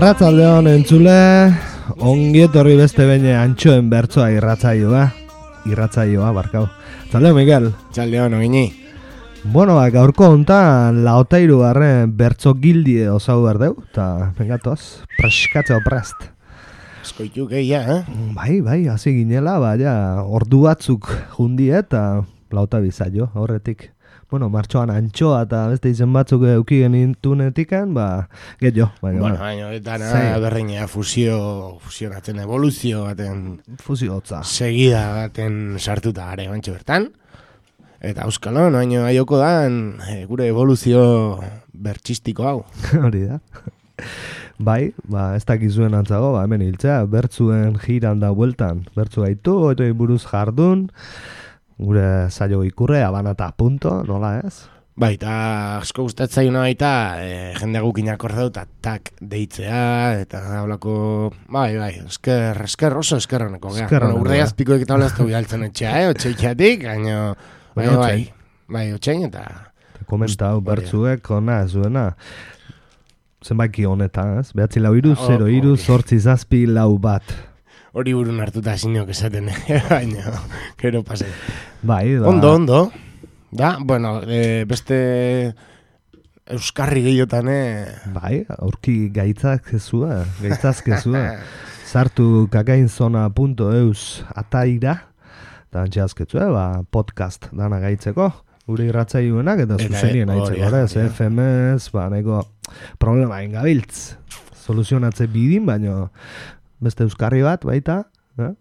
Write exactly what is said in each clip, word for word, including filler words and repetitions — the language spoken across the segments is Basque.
Arratsaldeon entzule, ongi etorri beste behin antxoen bertsoa irratsaioa, irratsaioa barkau. Txaldeon Miguel. Txaldeon ogini. Bueno, ba, gaurko hontan laotairu garren bertso gildie osau berdeu, eta pengatoz, preskatzeo prest. Eskoitu gehia, eh? Bai, bai, hasi ginela, baina ordu batzuk jundie eta lauta bizaio, horretik. Bueno, martxoan antxoa eta beste izen batzuk euki genintunetikan, ba, getxo. Bueno, baina, eta na, berreina fusio, fusionatzen evoluzio baten... Fusio hotza. Segida baten sartuta gare bantxe bertan. Eta euskalo, noaino aioko dan, e, gure evoluzio bertxistiko hau. Hori da. Bai, ba, ez dakizuen antzago, ba, hemen hiltzea, bertzuen jiran da bueltan. Bertzu gaitu, oitoi buruz jardun, gure saio ikurre, abana eta punto, nola ez? Bai, eta asko gustatzaiuna baita, e, jende gukinak ordeu, eta tak deitzea, eta hablako, bai, bai, esker, esker, oso eskerroneko, gea. Bueno, urde azpikoek eta holaztu bialtzen etxea, eh, otxeitxeatik, baina, bai, bai, bai, otxein, eta... Komentau, bertzuek, ona, zuena, zenbaiki honetan, ez? Behatzi lau iru, zero iru, zortzi zazpi lau bat. Hori burun hartuta sinok esaten, baina, gero pase. Bai, da. Ondo, ondo. Da, bueno, e, beste euskarri gehiotan, eh? Bai, aurki gaitzak kezua, gaitzaz kezua. Sartu kakainzona punto eus ataira, eta antxeazketzua, ba, podcast dana gaitzeko. Gure irratzaioenak eta zuzenien aitzeko, ez, F M S, ba, nahiko problema ingabiltz. Soluzionatze bidin, baino beste euskarri bat, baita, eh?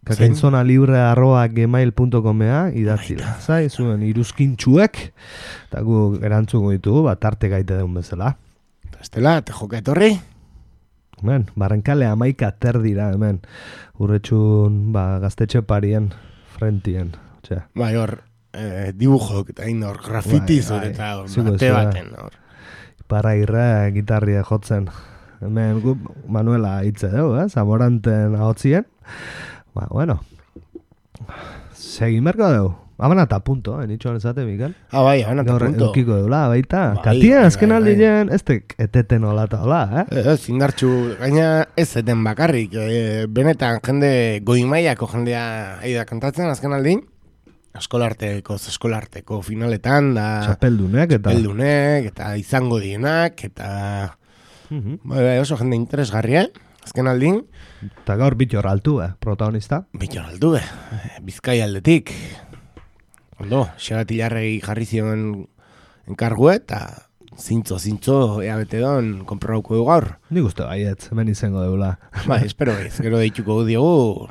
Kakainzona libre arroa gmail punto comea idatzila. Zai, zuen iruzkintxuek, eta gu erantzuko ditugu, bat arte gaite deun bezala. Estela, te joka etorri? Hemen, barrenkale amaika terdira, hemen. Urretxun, ba, gaztetxe parien, frentien. Txe. Bai, hor, eh, dibujok, eta hain hor, grafitiz, bai, bai, eta hor, bate baten, hor. Para irre, gitarria jotzen. Hemen, gu, Manuela hitze dugu, eh? Zamoranten ahotzien. Ba, bueno, segin berko dugu. Abana eta punto, eh? Nitxoan ezate, Miguel. Ah, bai, abana eta punto. Gaur eukiko duela, baita. Bai, Katia, azken bai, aldi jen, ez tek eteten hola eta hola, eh? Ez, indartxu, gaina ez eten bakarrik. E, benetan, jende goimaiako jendea aida kantatzen, azken aldin. Eskolarteko, eskolarteko finaletan, da... Txapeldunek, eta... Txapeldunek, eta izango dienak, eta... Uh-huh. Bai, bai, oso jende interesgarria, azken aldin. Eta gaur Bitxor altu, eh, protagonista. Bitxor altu, eh, Bizkai aldetik. Ondo, Xeratilarregi jarri zion enkargue, eta zintzo, zintzo, ea bete don, konprobauko du gaur. Nik uste baietz, hemen izango deula. Bai, espero ez, gero deituko diogu...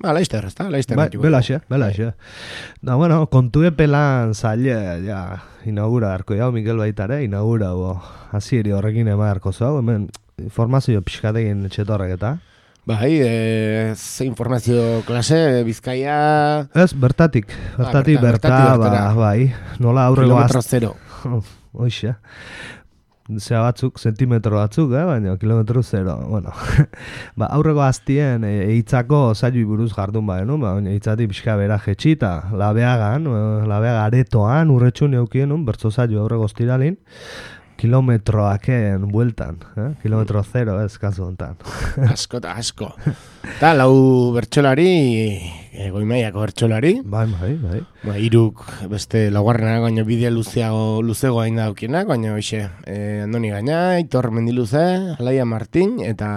Ba, laizter, ez da, laizter. Ba, belaxe, belaxe. Da, bueno, kontue pelan zaile, ja, inaugura harko jau, Miguel baitare, inaugura, bo, hasieri horrekin ema harko zau, hemen informazio pixkatekin etxetorrek eta. Bai, e, ze informazio klase, Bizkaia... Ez, bertatik, bertatik, ah, berta, berta, bertatik, ba, bai, nola aurrego az... Kilometro zero. Oixe. Zea batzuk, sentimetro batzuk, eh? Baina kilometro zero, bueno. Ba, aurreko aztien eitzako zailu buruz jardun ba, no? Ba, eitzati pixka bera jetxita, labeagan, labeaga aretoan, urretxun eukien, bertzo zailu aurreko ostiralin, kilometroaken bueltan, eh? Kilometro zero, ez, kasu hontan. Asko eta asko. Eta lau bertxolari, e, goimaiako bertxolari. Bai, bai, bai. Ba, iruk beste laugarrenak, baina bidea luzeago, luzego hain daukienak, baina hoxe, e, Andoni Gaina, Aitor Mendiluze, Alaia Martin, eta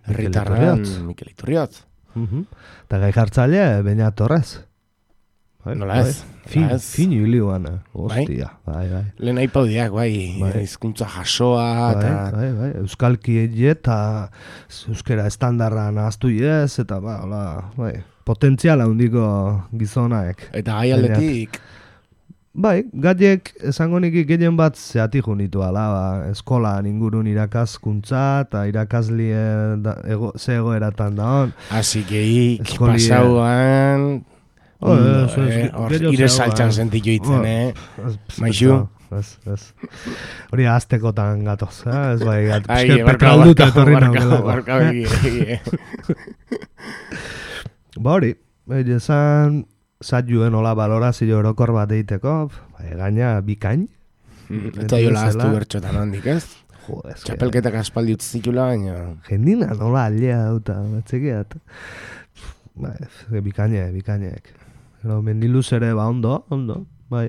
herritarran Mikel Iturriot. Uh-huh. Eta gai jartzaile, Beñat Torres. Bai, nola ez? Fin, fin hilioan, hostia. Bai, bai. Lehen aipaudiak, bai, hizkuntza jasoa, eta... Bai, bai, euskalki eta euskera estandarra nahaztu ez, eta ba, hola, bai, potentziala handiko gizonaek. Eta gai aldetik... Bai, gaiek esango niki gehien bat zehatik junitu ala, ba, eskolan ingurun irakaskuntza eta irakaslie da, ego, ze egoeratan da hon. Asi geik, pasauan... Oh, eso es, hor, ire saltxan sentitu itzen, eh? Maixu? Ez, ez. Hori aztekotan gatoz, eh? Ez bai, petralduta etorri nago. Barka, barka, Ba hori, esan zailuen hola balorazio orokor bat eiteko, gaina bikain. Eta jola aztu bertxotan handik, ez? Jode, eske. Txapelketak aspaldi utzi zitula, baina... Jendina nola aldea dauta, batzekiat. Ba, bikaine, bikainek. Gero, mendiluz ere, ba, ondo, ondo, bai.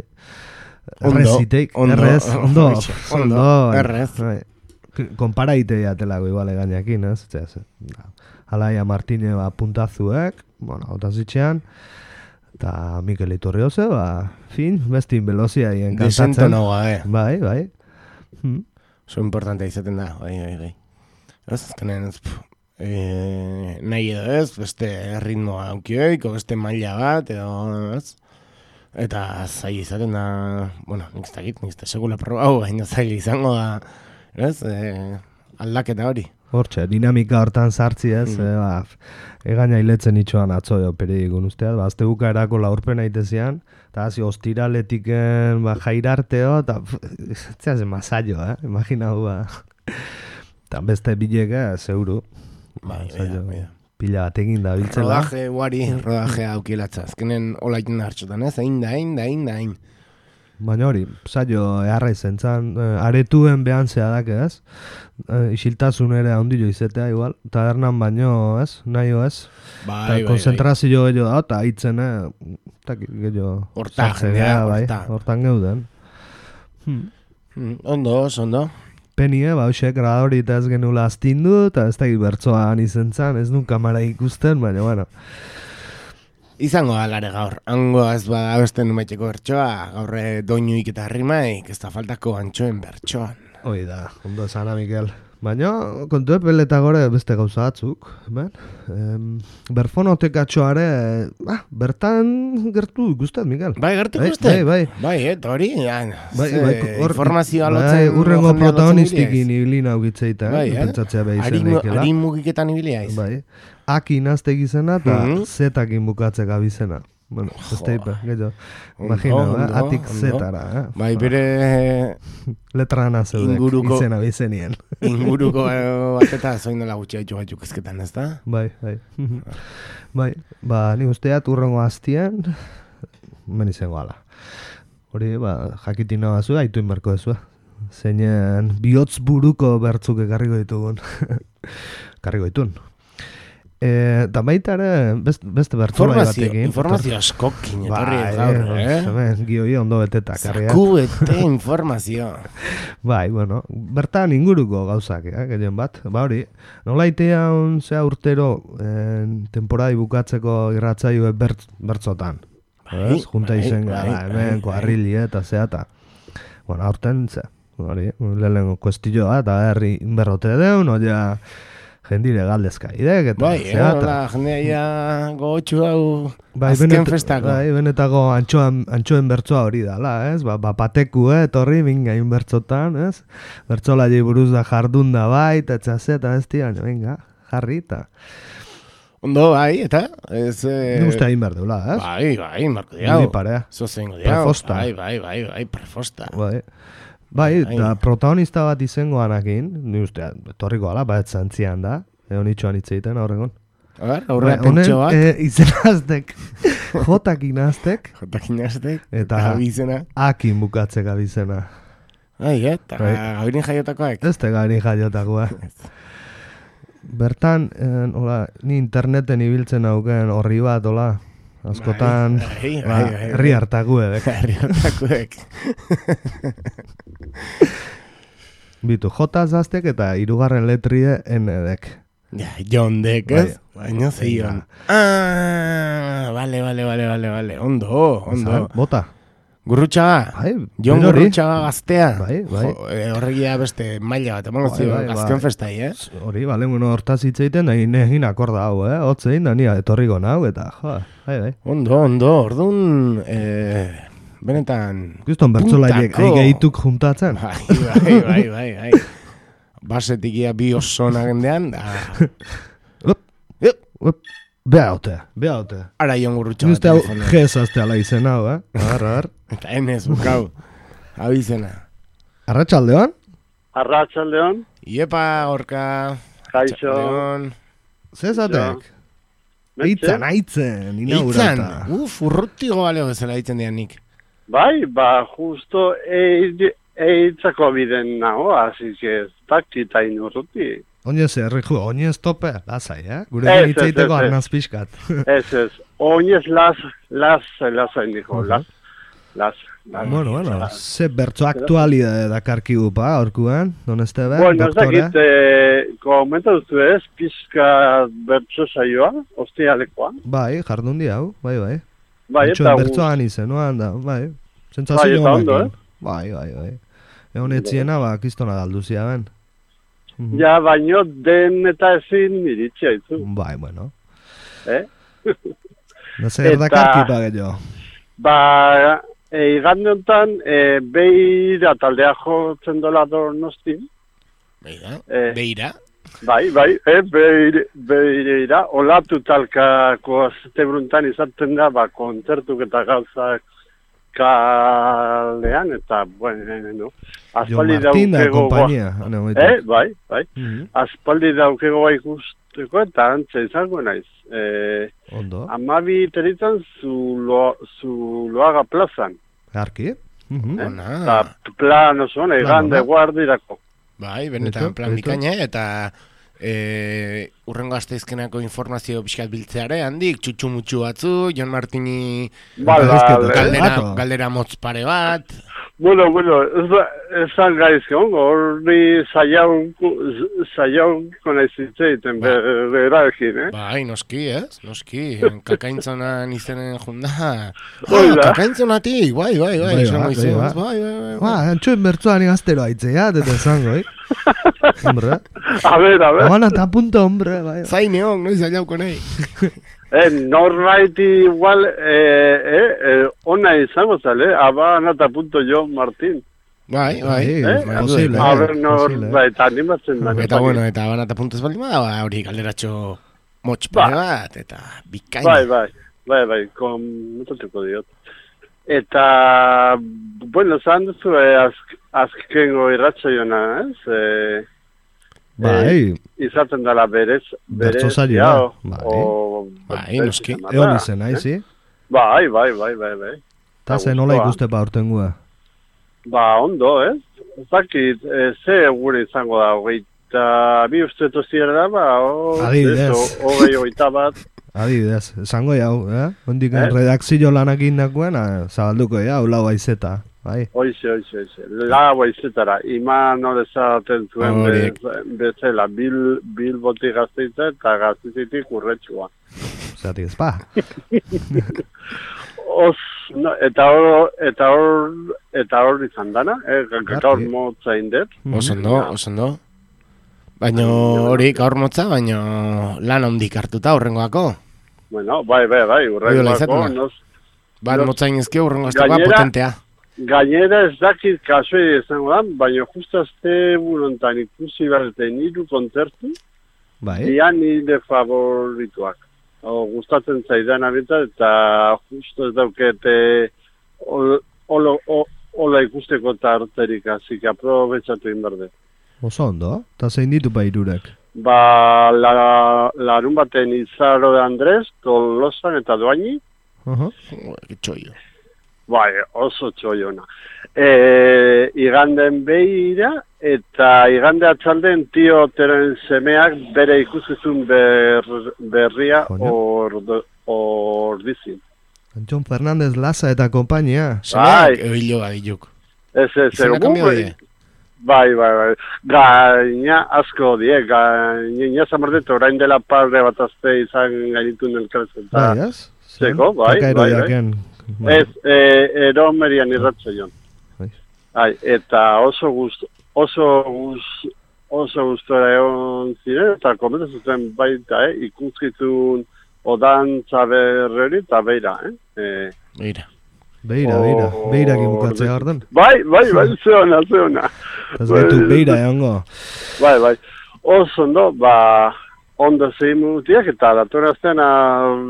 Erreziteik, errez, ondo, ondo, errez. Bai. Konparaite jatelago igual egainakin, ez? Alaia Martine, ba, puntazuek, bueno, otazitxean, eta Mikel Iturrioze, ba, fin, bestin belozia hien kantatzen. Desento nagoa, eh? Bai, bai. Hmm. Oso importantea izaten da, bai, bai, bai. Ez, azkenen, ez, e, nahi edo ez, beste ritmoa aukioik, o beste maila bat, edo, ez? Eta zaila izaten da, bueno, nik ez dakit, nik ez da segula probau, baina zaila izango da, ez, e, aldaketa hori. Hortxe, dinamika hortan sartzi ez, mm. e, ba, egaina hiletzen itxoan atzoio periodikun usteat, ba, azte bukaerako laurpen aitezian, eta hazi ostiraletiken ba, jairarteo, eta zera zen masaio, eh? Imagina hu, ba. Eta beste bileka, zeuru. Bai, bai, bai. Pila bat egin da biltzela. Rodaje, guari, rodaje aukielatza. Azkenen hola iten hartxotan, ez? Hain da, hain da, hain da, hain. Baina hori, saio eharra izan zan, aretuen behan zehadak, ez? E, isiltasun ere handilo izetea, igual. Tabernan baino, ez? Nahi ez? Bai, bai, bai. Konzentrazio gehiago da, eta hitzen, eh? Eta gehiago... Horta, jendea, horta. Hortan geuden. Hmm. Hmm, ondo, ondo. Penie, ba, hoxe, gradori eta ez genula astindu, eta ez da bertzoan izen zan, ez nun kamara ikusten, baina, bueno. Izango alare gaur, hango ez bada beste numaiteko bertsoa, gaurre doinuik eta rimaik, ez da faltako antxoen bertsoan. Hoi da, ondo esana, Mikel. Baina, kontu epeleta gore beste gauza batzuk, ben? Em, berfonotekatxoare, ah, bertan gertu ikustet, Mikel. Bai, gertu ikustet? Bai, bai. Bai, eta hori, ja, bai, bai, or, informazioa bai, lotzen... Urrengo protagonistikin ibilina ugitzeita, bai, eh? Pentsatzea behi zen ekela. Ari mugiketan ibilia iz. Bai, akin azte gizena eta Mhm. zetakin bukatzek abizena. Bueno, ez teipa, gehiago. Imagina, Ondo, eh? Atik ondo. zetara, eh? Bai, bere Letra ana zeudek, Inguruko- izena bizenien. inguruko eh, bat eta zoin dela gutxi haitu gaitu kezketan, ez da? Bai, bai. Bai, ba, ni usteat urrengo aztien, men izango ala. Hori, ba, jakitin nahi bazu, haitu inberko dezu. Zeinen bihotz buruko bertzuk ekarriko ditugun. Karriko ditun. Eta baita ere, best, beste bertzolai batekin. Informazio askokin, etorri Bai, gaur, eh? Hemen, gioi ondo beteta. Zaku ete informazio. Bai, bueno, bertan inguruko gauzak, eh, gehien bat. Ba hori, nola itean zea urtero eh, temporadi bukatzeko irratzaio bertz, bertzotan. Bai, Ez? Junta bai, izen bai, gara, bai, hemen, bai. koarrili eta zeata. Bueno, aurten ze, hori, lehenengo kuestilloa eta herri berrote deun, oia jendire galdezka idek eta Bai, eh, zeata. hola, jendea ja gogotxu hau Bai, azken benet, festako. bai, benetako antxoan, antxoen bertzoa hori dala, ez? Ba, ba pateku, eh, etorri, bingain bertzotan, ez? Bertzola buruz da jardun da bai, eta etxazeta, ez tian, venga, jarri, eta... Ondo, bai, eta? Ez, eh... Ni uste hain behar deula, ez? Bai, bai, marko diau. Niri parea. Zozengo diau. Prefosta. Bai, bai, bai, bai, prefosta. Bai, bai, eta protagonista bat izango anakin, ni uste, etorriko ala, bat zantzian da, egon itxoan itzeiten aurregon. A ber, aurrera pentso bat. Honen, e, izenaztek, jotakin aztek, Jotakin aztek, eta abizena. akin bukatzek abizena. Ai, eta Bai. gabirin jaiotakoak. Ez te gari jaiotakoa. Bertan, eh, hola, ni interneten ibiltzen auken horri bat, hola, askotan, Bai, bai, ba, bai, bai. herri hartakuek. Herri hartakoek. Bitu, jotaz aztek eta hirugarren letrie enedek. Ja, John Dek, ez? Baina zeion. Ah, vale, vale, vale, vale, vale. Ondo, ondo. Bota. Gurrutxaga. Bai, Jon berori. Gurrutxaga gaztea. Bai, bai. Jo, eh, horregia beste maila bat, emango Bai, zio, bai, gazteon bai. festai, eh? Hori, bale, bueno, hortaz hitzeiten, nahi negin akorda hau, eh? Hotzein, da nia etorriko nau, eta, jo, bai, bai. Ondo, ondo, orduan, eh, benetan... Guzton bertzolaiek puntako. aigehituk juntatzen. Bai, bai, bai, bai, bai. Basetikia bi osona gendean, da... Up, Yup. up, beha hote, beha hote. Ara Jon Gurrutxaga. Nuzte hau telefonoa. jezazte ala izen hau, eh? Arra, arra. Eta enez, bukau. Abizena. Arratxaldeon? Arratsaldeon, Iepa, gorka. Kaixo. Txaldeon. Zezatek? Eitzan, aitzen, Itzan, inaugurata. uf, urrutigo baleo bezala ditzen dian nik. Bai, ba, justo, e, eitzako biden nago, así que ez dakita inurruti. Oinez, erriko, oinez tope, lasai, eh? Gure hitzeiteko arnaz pixkat. Ez, ez, oinez las, las, lasai dijo, las, las. Bueno, bueno, ze bertso aktualidade dakarkigu pa, orkuan, don Estebe, bueno, doktore? Bueno, ez dakit, komenta duzu ez, pizka bertso saioa, ostialekoa. Bai, jardun di hau, bai, bai. Bai, eta bertsoan izen, noan da, bai. Sentsazio bai, ondo, eh? Bai, bai, bai. Egon etziena, ba, kistona galduzia ben. Ja, baino den eta ezin iritsi haizu. Bai, bueno. Eh? No zer dakarki pa gehiago. Ba, e, igande honetan, e, beira taldea jotzen dola Donostin. Beira? E, beira? Bai, bai, e, beire, beira. Olatu talkako azte bruntan izaten da, ba, kontzertuk eta gauzak kalean, eta, bueno, aspaldi daukego... Eh, bai, bai. Mm-hmm. Aspaldi daukego ikusteko eta antze izango naiz. Eh, Ondo. Amabi teritan zulo, zuloaga plazan. Arki? Mm-hmm. Eh? Eta plan oso, egande guardirako. Bai, benetan plan bikaina, eta... E, urrengo asteizkenako informazio pixkat biltzeare, handik, txutxu-mutxu batzu, Jon Martini galdera, galdera motz pare bat. Bueno, bueno, esan gaizke ongo, horri zaiauko nahi zitzeiten berarekin, eh? Bai, noski, ez? Noski, kakaintzonan izenen junda. Ah, kakaintzonatik, bai, bai, bai, esango izan, bai, bai, bai. Ba, antxoen bertzuan igaztero aitzea, eta esango, eh? Hombre. A ver, a ver. Abana eta punto, hombre, bai. Zaineon, noiz zaiauko nahi. Eh, norbait igual, eh, eh, eh, ona izango zale, abana eta punto Jon Martin. Bai, bai. Eh? Posible, a ver, norbait animatzen da. Eta, bueno, eta abana eta punto ez baldin bada, hori galderatxo motx pare bat, eta bikaina. Bai, bai, bai, bai, komentatuko diot. Eta, bueno, zan duzu, eh, azk, azkengo irratxaiona, ez? Eh, bai. Eh, izaten dela berez, bertso saioa, bai. Bai, noski. Egon izen, haizi? Bai, bai, bai, bai, bai. Ta ze nola ikuste pa urtengua? Ba, ondo, ez? Zakit, e, ze gure izango da, hogeita, bi uste toziera da, ba, hogei hogeita bat. Adibidez, esango jau, eh? Ondik eh? redakzio lanak indakoen, zabalduko jau, lau aizeta, bai? Oize, oize, oize, lau aizetara, iman hori zaten zuen be, bezala, bil, bil boti gazteitza eta gazteizitik urretxua. Zatik ez pa. Os, no, eta hor, eta hor, eta hor izan dana, eh? Gaur motza indet. Osondo, osondo. Baina hori gaur motza, baina lan hondik hartuta horrengoako. Bueno, bai, bai, bai, urrengoako. Nos, bat motza inezke urrengo aztekoa potentea. Gainera ez dakit kasoi izango da, baina justu azte burontan ikusi berten hiru kontzertu, bai. Dia nire favorituak. O, gustatzen zaidan abita eta justu ez daukete hola ikusteko tarterik, hasi que aprobetxatu inberde. Oso ondo, eta zein ditu pa irurek? Ba, la, larun baten Izaro de Andrés, Tolosan eta Doaini. Uh-huh. Txoio. Bai, oso txoiona. E, iganden beira, eta igande atxalden tio teren semeak bere ikuskizun ber, berria ordizin. Antxon Fernandez Laza eta kompainia. Semeak ebilo badiluk. Ez, ez, ez, bai, bai, bai. Gaina asko die, gaina zamartet orain dela parre bat azte izan gainitun elkarrezen. Bai, ez? Zeko, bai, bai, bai. Ez, ero merian irratza joan. Bai, eta oso gust, oso gust, oso gustora egon ziren, eta komentu zuten baita, eh, ikuskizun odan txaberreri eta beira, eh. Beira. Beira, beira, beira gibukatzea gardan. Bai, bai, bai, zeona, zeona. Ez gaitu beira egongo. Bai, bai, oso ondo, ba, ondo zein mutiak eta datora aztean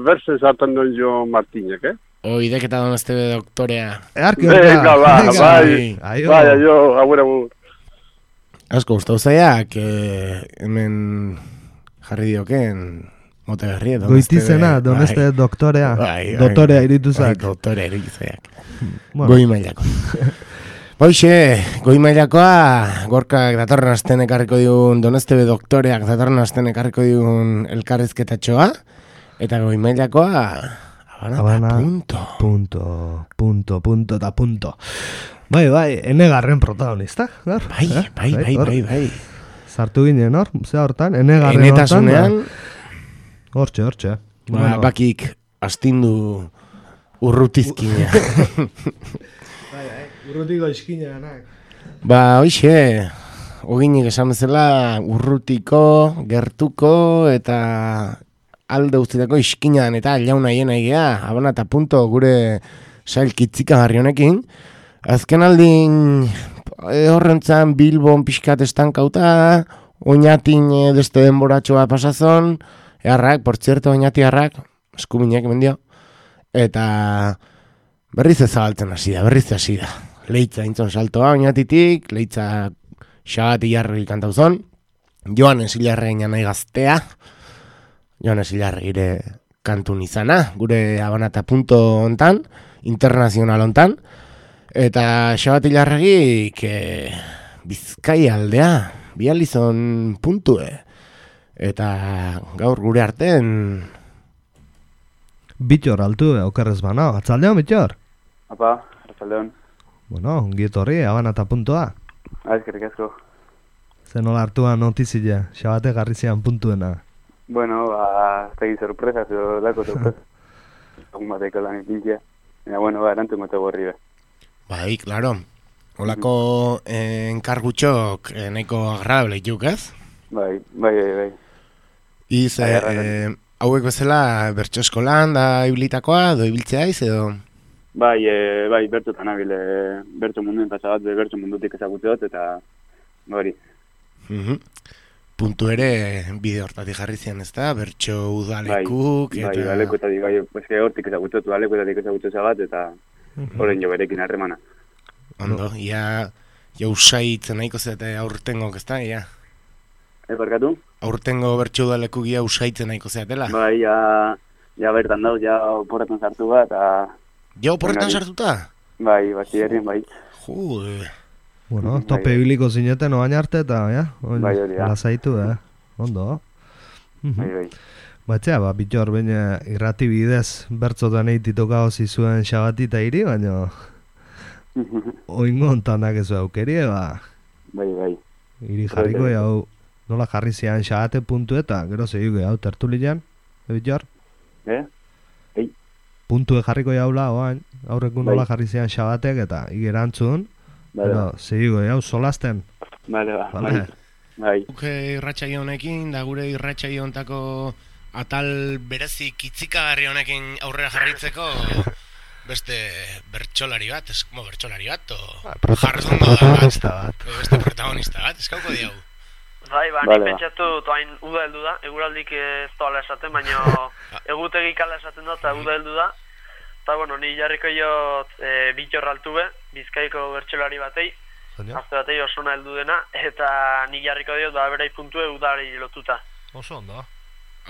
berse zaten duen Jo Martinek, eh? O, ideketa don azte doktorea. Earki Venga, ba, bai, bai, jo, agur, agur. Asko, ustau zaiak, eh, hemen jarri dioken... Mote berri, goitizena, doneste doktorea. Bai, bai, doktorea irituzak. Bai, doktorea irituzak. Bueno. Goi mailako. Hoxe, goi mailakoa, Gorkak datorren asten ekarriko digun, Donestebe doktoreak datorren asten ekarriko digun elkarrizketatxoa, eta goi mailakoa, Habana, Habana punto. Punto, punto, punto, eta punto. Bai, bai, enegarren protagonista. Gar, bai, eh? bai, bai, bai, bai, bai. Sartu ginen hor, ze hortan, enegarren Enetasunean, hortan. Hortxe, hortxe. Ba, bueno. Bakik astindu urrutizkina. Urrutiko iskina ganak. Ba, hoxe, oginik esan bezala urrutiko, gertuko eta alde guztietako iskinan eta jauna hiena egea, Habana eta punto gure sailkitzika garri honekin. Azken aldin horrentzan Bilbon pixkat estankauta, oinatin deste denboratxoa pasazon, eharrak, por zerto, oinatiarrak, eskuminek mendio, eta berriz ezabaltzen hasi da, berriz hasi da. Leitza intzon saltoa oinatitik, leitza xabati jarri kantauzon, Joanes Ilarrein nahi gaztea, Joanes Ilarreire kantun izana, gure Habana eta punto ontan, internazional ontan, eta xabati Ilarregik e, Bizkai aldea, bializon puntue, eta gaur gure arten... Bitxor altu, okerrez bana, atzaldeon Bitxor? Apa, atzaldeon. Bueno, ongietorri, Habana eta puntoa. Azkerik asko. Zer nola hartua notizia, xabate garrizian puntuena. Bueno, ba, ez egin sorpresa, zero lako sorpresa. Egun bateko lan ipintzia. Eta, bueno, ba, erantzun gote gorri be. Bai, klaro. Olako eh, enkargutxok eh, nahiko agradable juk, ez? Bai, bai, bai, bai. Iz, eh, eh, hauek bezala bertso eskolan da ibilitakoa, do ibiltzea iz, edo... Bai, e, bai, bertxotan abile, bertxo munduen pasabat, bertxo mundutik ezagutze dut, eta hori. Mm-hmm. Puntu ere bide hortatik jarri zian, ez da? Bertxo udalekuk, bai, eta... Bai, udalekuetatik, bai, eske hortik ezagutze dut, udalekuetatik ezagutze zabat, eta mm-hmm. Horren jo berekin harremana. Ondo, ia, ja usaitzen nahiko zete aurtengok, ez da, ia? E, barkatu? Aurtengo bertxo udalekuk ia usaitzen nahiko zeatela? Bai, ja, ja bertan dauz, ja oporretan sartu bat, eta... Ja, oporretan sartuta? Bai, batzi herrien, bai. Jude. Bueno, tope ibiliko zineten oain arte eta, ja? Oin, bai, hori, ja. Lasaitu, eh? Ondo. Bai, bai. Batzea, ba, Bitxor, baina irrati bidez bertzotan eititoka hozi zuen xabati eta iri, baina... Oingo ontanak ez aukerie, ba... Bai, bai. Iri jarriko, jau, nola jarri zian xabate puntu eta, gero zehiuge, hau, tertulian, Bitxor? Eh? Puntue jarriko jaula, oain, aurreku nola bai. Jarri zian xabatek eta igerantzun, pero segigo, jau, solasten. Bale, ba, bai. Bai. Guke irratxaio honekin, da gure irratxaio hontako atal berezi kitzikagarri honekin aurrera jarritzeko beste bertsolari bat, ez como bertsolari bat, o jarrezondo da bat, beste protagonista bat, eskauko diau. Bai, ba, nik pentsatu toain uda heldu da, eguraldik ez doala esaten, baina egutegik ala esaten da, eta uda heldu da. Eta, bueno, ni jarriko jot e, Bitxor altu be, Bizkaiko bertsolari batei, azte batei osona heldu dena, eta ni jarriko diot, ba, berei puntue udari lotuta. Oso ondo.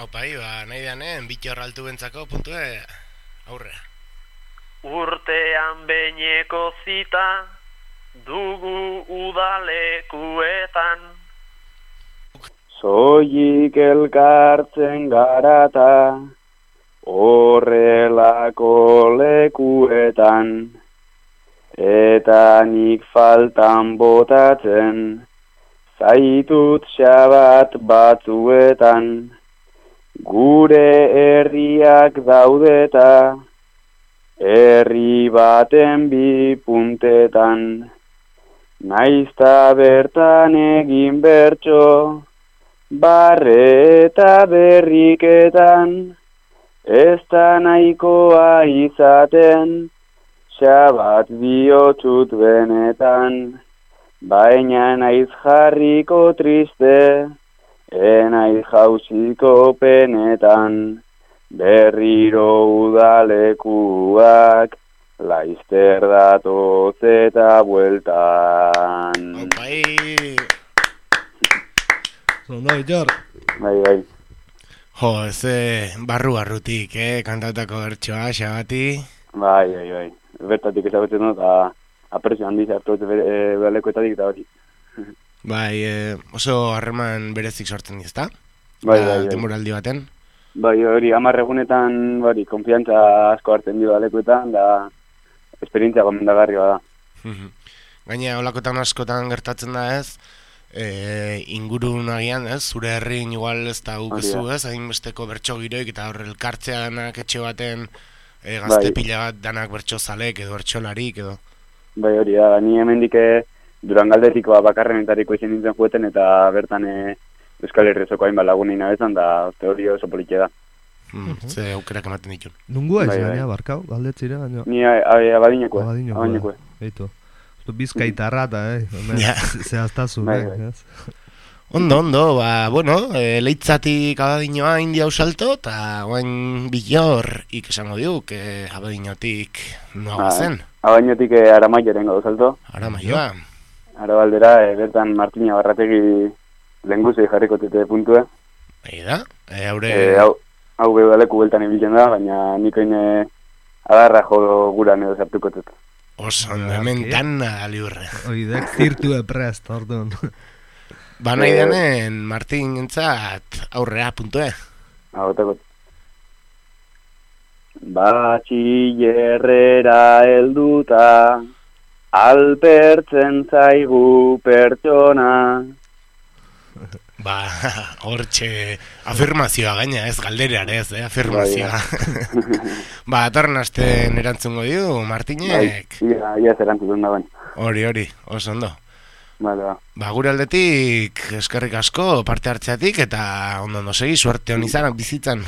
Opai, ba, nahi deanen, Bitxor altu bentzako puntue aurrea. Urtean beineko zita, dugu udalekuetan, soilik elkartzen garata, horrelako lekuetan, eta nik faltan botatzen, zaitut xabat batzuetan, gure herriak daudeta, herri baten bi puntetan, naizta bertan egin bertso, barre eta berriketan, ez da nahikoa izaten, xabat bihotxut benetan, baina naiz jarriko triste, enaiz jauziko penetan, berriro udalekuak, laizter datoz eta bueltan. Opai! Zondo, Bitxor. Bai, bai. Jo, ez barru-barrutik, eh, kantautako bertsoa, xabati. Bai, bai, bai. Bertatik ezagutzen dut, eta apresio handiz hartu e, balekuetatik eta hori. Bai, e, oso harreman berezik sortzen dizta? Bai, bai, bai. Demoraldi baten? Bai, hori, hamar egunetan, bari, konfiantza asko hartzen dio balekuetan, da esperientzia gomendagarria da. Gaina, olakotan askotan gertatzen da ez, e, ingurun agian ez, zure herrin igual ez da gukezu ez, hainbesteko bertso giroik eta horre elkartzea danak etxe baten e, gazte bai. Pila bat danak bertso zalek edo bertsolarik edo. Bai, hori da, ni hemendik Durangaldetiko bakarrenetariko izan nintzen jueten eta bertan e, Euskal Herriozoko hainbat lagunin abezan da hori oso politia da. Mm, ze aukerak ematen ditun. Nungua ez, baina, barkau, galdetzire, baina... Ni abadinekoe. Abadinekoe. Eitu. Bizkaitarra eta, eh? Zehaztazun, eh? Ondo, ondo, ba, bueno, e, leitzatik abadinoa india usalto, eta guain bilor ikesango diuk, e, abadinotik noa zen. Abadinotik e, Aramaioren gau salto. Aramaioa. Arabaldera, e, bertan Martina Barrategi lenguzei jarriko tete puntue. Egi da, e, haure... E, hau, hau bebaleku beltan ibiltzen da, baina nikoin agarra jo guran edo zartuko tete. Oso, hemen tan aliurre. Oidek zirtu eprest, orduan. Ba nahi denen, Martin entzat aurrea puntue. Hau, tekot. Batxillerrera helduta, alpertzen zaigu pertsona. Ba, hortxe afirmazioa gaina, ez galderean ez, eh, afirmazioa. Ba, atorren asten erantzungo dio, Martinek. Ia, ia ez erantzun da baina. Hori, hori, oso ondo. Vale, ba. Ba, gure aldetik eskerrik asko parte hartzeatik eta ondo ondo segi, suerte hon izanak bizitzan.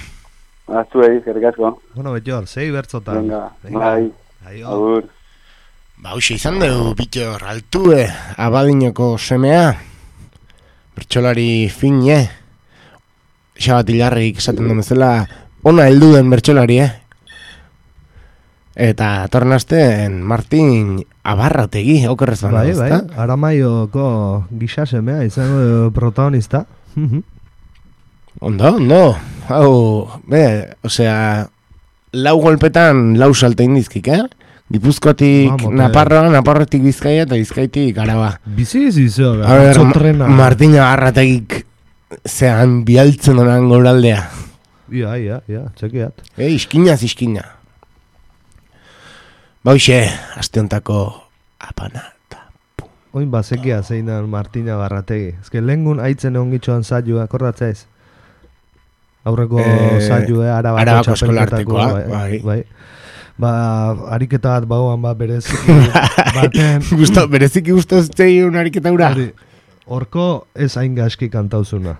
Ba, zuei, eskerrik asko. Bueno, Bittor, sei bertzotan. Venga, bai, agur. Ba, hoxe izan dugu, Bittor, altue, abadinoko semea. Bertsolari fine, xabat hilarrik esaten duen bezala, ona heldu den bertsolari, eh? Eta tornazten Martin Abarrategi, okerrez baina, bai, bai, Aramaioko gisa semea izango protagonista. Ondo, ondo, hau, be, osea, lau golpetan lau salte indizkik, eh? Gipuzkoatik Naparroa, Naparrotik Bizkaia eta Bizkaitik Araba. Bizi bizi zo, ma Martina Abarrategik zean bialtzen honan goraldea. Ia, ia, ia, txekiat. E, iskinaz, iskina. Bauxe, asteontako apana eta pum. Oin bazekia zeinan Martina Abarrategi. Ez que lehengun haitzen egon gitxoan saioa, akordatzaiz? Aurreko e, saioa, Arabako, Arabako eskolartekoa, bai. bai. Ba, ariketa bat bagoan ba bereziki baten... Gusto, bereziki guztu zeiun ariketa ura? Horko ez hain gaski kantauzuna.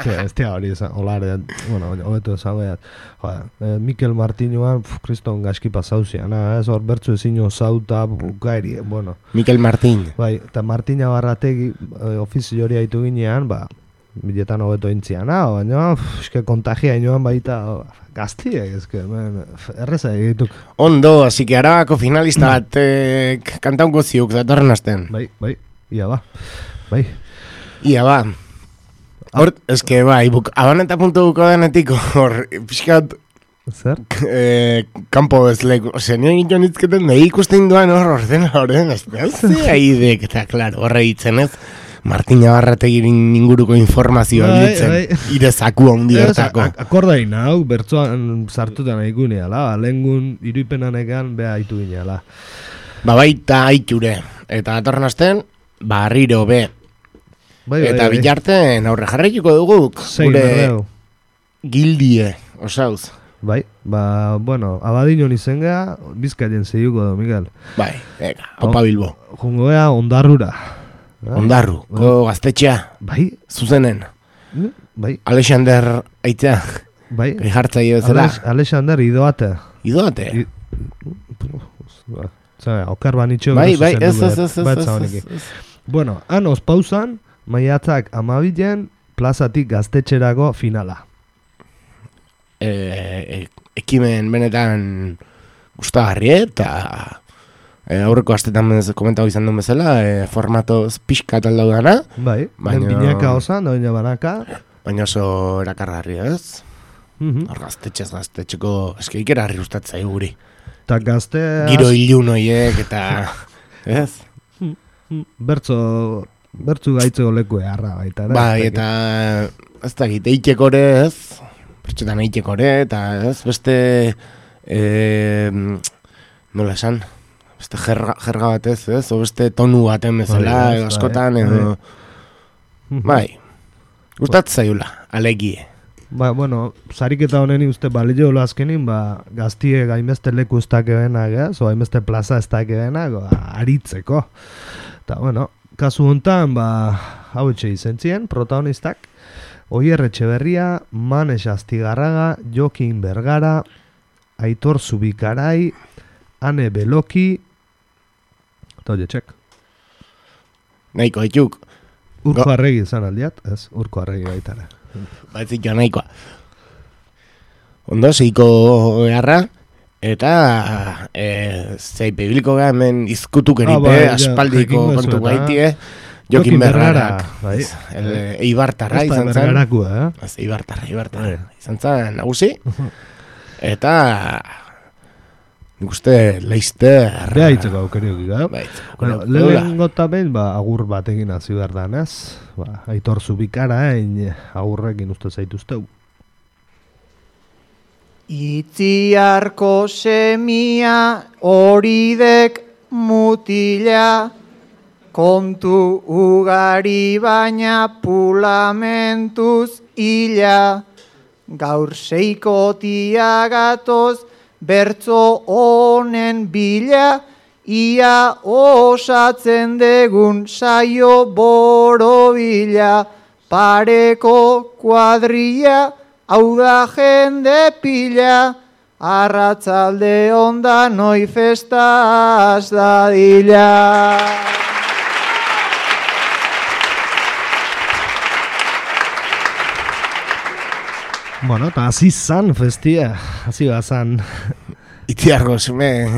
Ez tia hori esan, olare, bueno, hobetu esan behat. Eh, Mikel Martinoan, kriston gaski pasauzian, ez hor bertzu ezino zauta, gairi, bueno. Mikel Martin. Bai, eta Martina Barrategi eh, ofizio hori haitu ginean, ba, biletan hobeto intzian, ah, baina, eske kontagia inoan baita, gaztiek, eske, erreza egituk. Ondo, así que Arabako finalista bat eh, kantaunko ziuk, datorren asten. Bai, bai, ia ba, bai. Ia ba. Hor, eske, bai, buk, abaneta puntu buko denetik, hor, pixkat... Zer? Eh, kampo ez leku, ose, nire giton itzketen, nahi ikusten duan hor, ordena horren, ez da, haidek, eta, klaro, horre hitzen ez, Martina Barrategirin inguruko informazioa bai, ditzen, bai. Irezaku handi hartako. Akordain hau, bertzoan sartutan haiku neala, lehengun iruipenan egan beha haitu gineala. Ba baita haiture, eta atorren asten, barriro be. Bai, eta bai, bilarten aurre jarraituko duguk, Zein gure berreu. gildie, osauz. Bai, ba, bueno, abadinon izen geha, Bizkaien zeiuko du, Miguel. Bai, ega, opa Bilbo. Jungo geha ondarrura. Ondarru, ko gaztetxea. Bai. Zuzenen. Bai. Alexander aitzea. Bai. Gijartzaile bezala. Alexander idoate. Idoate? Zara, okar banitxo. Bai, bai, ez, ez, ez, ez, ez. Bueno, han ospausan, maiatzak amabilen, plazatik gaztetxerako finala. E, e, ekimen benetan gustagarri eta e, aurreko astetan komentau izan duen bezala, e, formato pixka tal daudana. Bai, baina binaka osan, doina banaka. Baina oso erakargarri ez. Mm-hmm. Hor gaztetxez gaztetxeko, eske ikerarri ustatzai guri. Ta gazte... Giro ilun oiek eta ez? Bertzo, bertzu gaitzeko leku eharra baita. Bai, eta ez da gite eitekore ez, bertxotan eitekore, eta ez, beste, e, nola esan, beste jerga, jerga batez, ez, o beste tonu baten bezala, Bai, edo askotan, edo, bai, gustatzen zaiula, alegie. Ba, bueno, sariketa honeni uste balio azkenin, ba, gaztie gainbeste leku ez dakebenak, ez, o hainbeste plaza ez dakebenak, ba, aritzeko. Eta, bueno, kasu honetan, ba, hau etxe izentzien, protagonistak, Oier Etxeberria, Manes Astigarraga, Jokin Bergara, Aitor Zubikarai, Ane Beloki, eta oie txek. Nahiko etxuk. Urko Arregi izan aldiat, ez, Urko Arregi baitara. Baitzik jo nahikoa. Ondo, zeiko beharra, eta e, zei pebiliko gara hemen izkutuk eripe, ah, bai, aspaldiko ja, kontu eta... gaitie, Jokin Bergarak, bai. Eibartarra izan zen. Bergarakua, eh? Ez, Eibartarra, Eibartarra. Izan zen nagusi, eta nik uste Leister... Bea hitzeko aukeriok ika. Bueno, lehen gota behin, ba, agur bat egin hazi behar dan, ez? Ba, Aitor Zubikara, hein, agurrekin uste zaituzteu. Itziarko semia horidek mutila, kontu ugari baina pulamentuz ila, gaur seikotia gatoz bertzo honen bila, ia osatzen degun saio borobila, pareko kuadrilla, hau da jende pila, arratzalde onda noi festaz dadila. Bueno, eta hasi zan festia, hasi bazan. Itziargo, zume,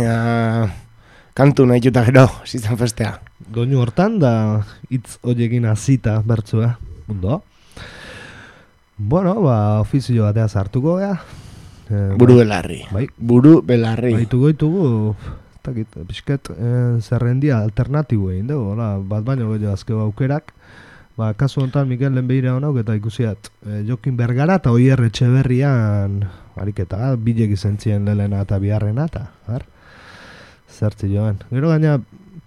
kantu nahi juta gero, hasi zan festea. Doinu hortan da hitz horiekin hasita bertzua, ondo? Bueno, ba, ofizio batea sartuko gea. Eh, Buru belarri. Bai. Buru belarri. Baituko ditugu, takit, pixket, eh, zerrendia alternatibo egin dugu, bat baino gehiago azkeo aukerak. Ba, kasu honetan Mikel Lenbeira honauk eta ikusiat e, Jokin Bergara eta Oier Etxeberrian ariketa, bilek izentzien lelena eta biharrena eta har, zertzi joan. Gero gaina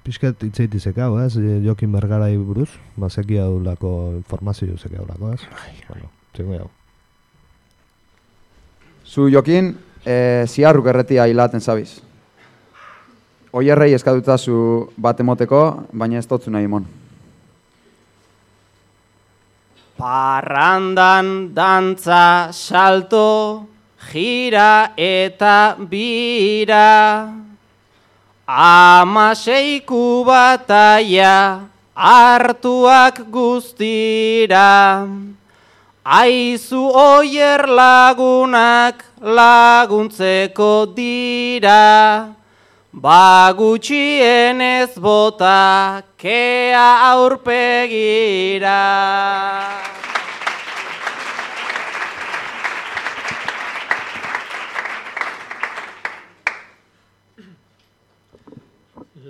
pixket itzeititek hau, ez, Jokin Bergarai buruz, ba, zeki hau lako informazio zeki hau lako, ez? Bueno, txeko hau. Zu Jokin, e, ziarruk erretia hilaten zabiz. Oierrei eskadutazu bat emoteko, baina ez totzu nahi mon. Parrandan dantza salto, gira eta bira, amaseiku bataia hartuak guztira, aizu Oier lagunak laguntzeko dira, bagutxienez bota kea aurpegira.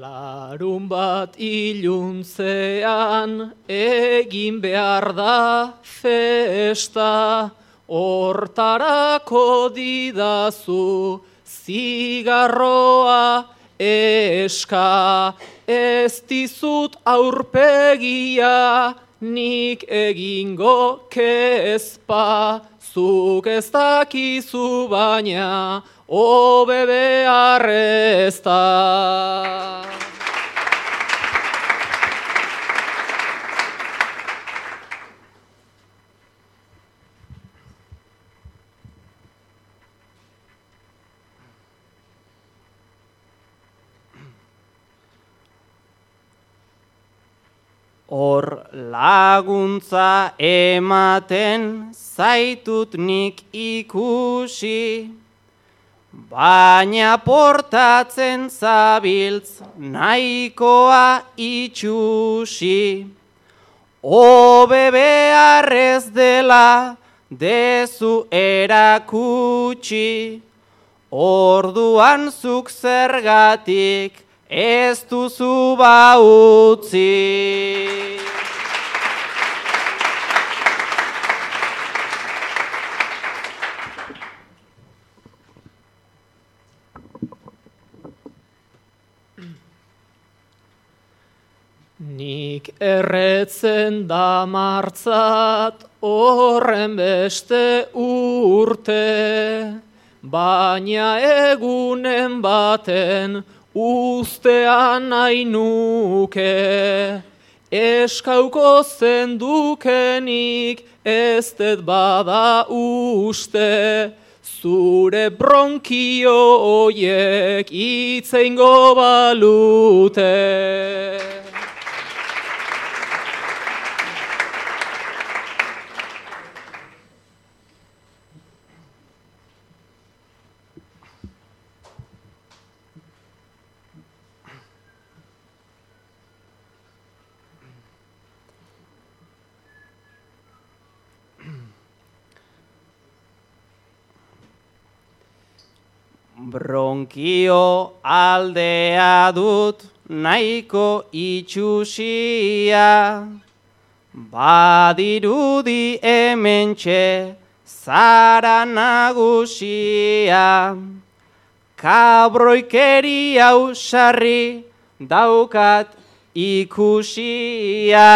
Larun bat iluntzean egin behar da festa, hortarako didazu zigarroa eska, ez dizut aurpegia nik egingo kezpa, zuk ez dakizu baina hobe behar ez da. Hor laguntza ematen zaitut nik ikusi, baina portatzen zabiltz nahikoa itxusi. Hobe beharrez dela dezu erakutsi, orduan zuk zergatik ez duzu ba utzi. Nik erretzen da martzat horren beste urte, baina egunen baten ustean nahi nuke. Eskauko zendukenik ez dut bada uste, zure bronkio oiek itzeingo balute. Bronkio aldea dut nahiko itxusia, badirudi hementxe zara nagusia. Kabroikeri hau sarri daukat ikusia,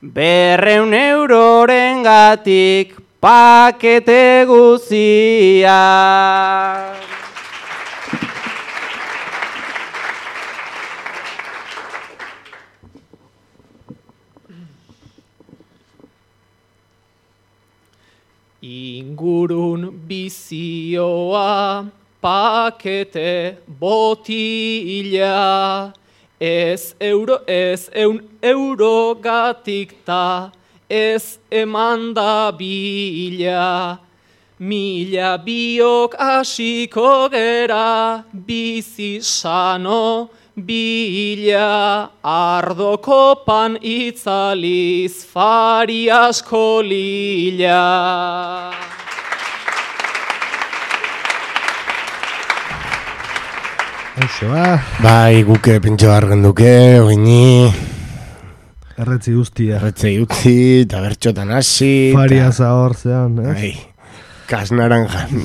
berreun euroren gatik pakete guzia. Ingurun bizioa pakete botila, ez euro, ez eun euro gatik ta, ez emanda bila. Mila biok asiko gera, bizi sano bila, ardo kopan itzaliz fari asko lila. Eixo, ba. Bai, guke pentsa bargen duke, oini. Erretzi guztia. Erretzi utzi, eta bertxotan hasi. Faria zahor zean, eh? Bai, kas naranjan.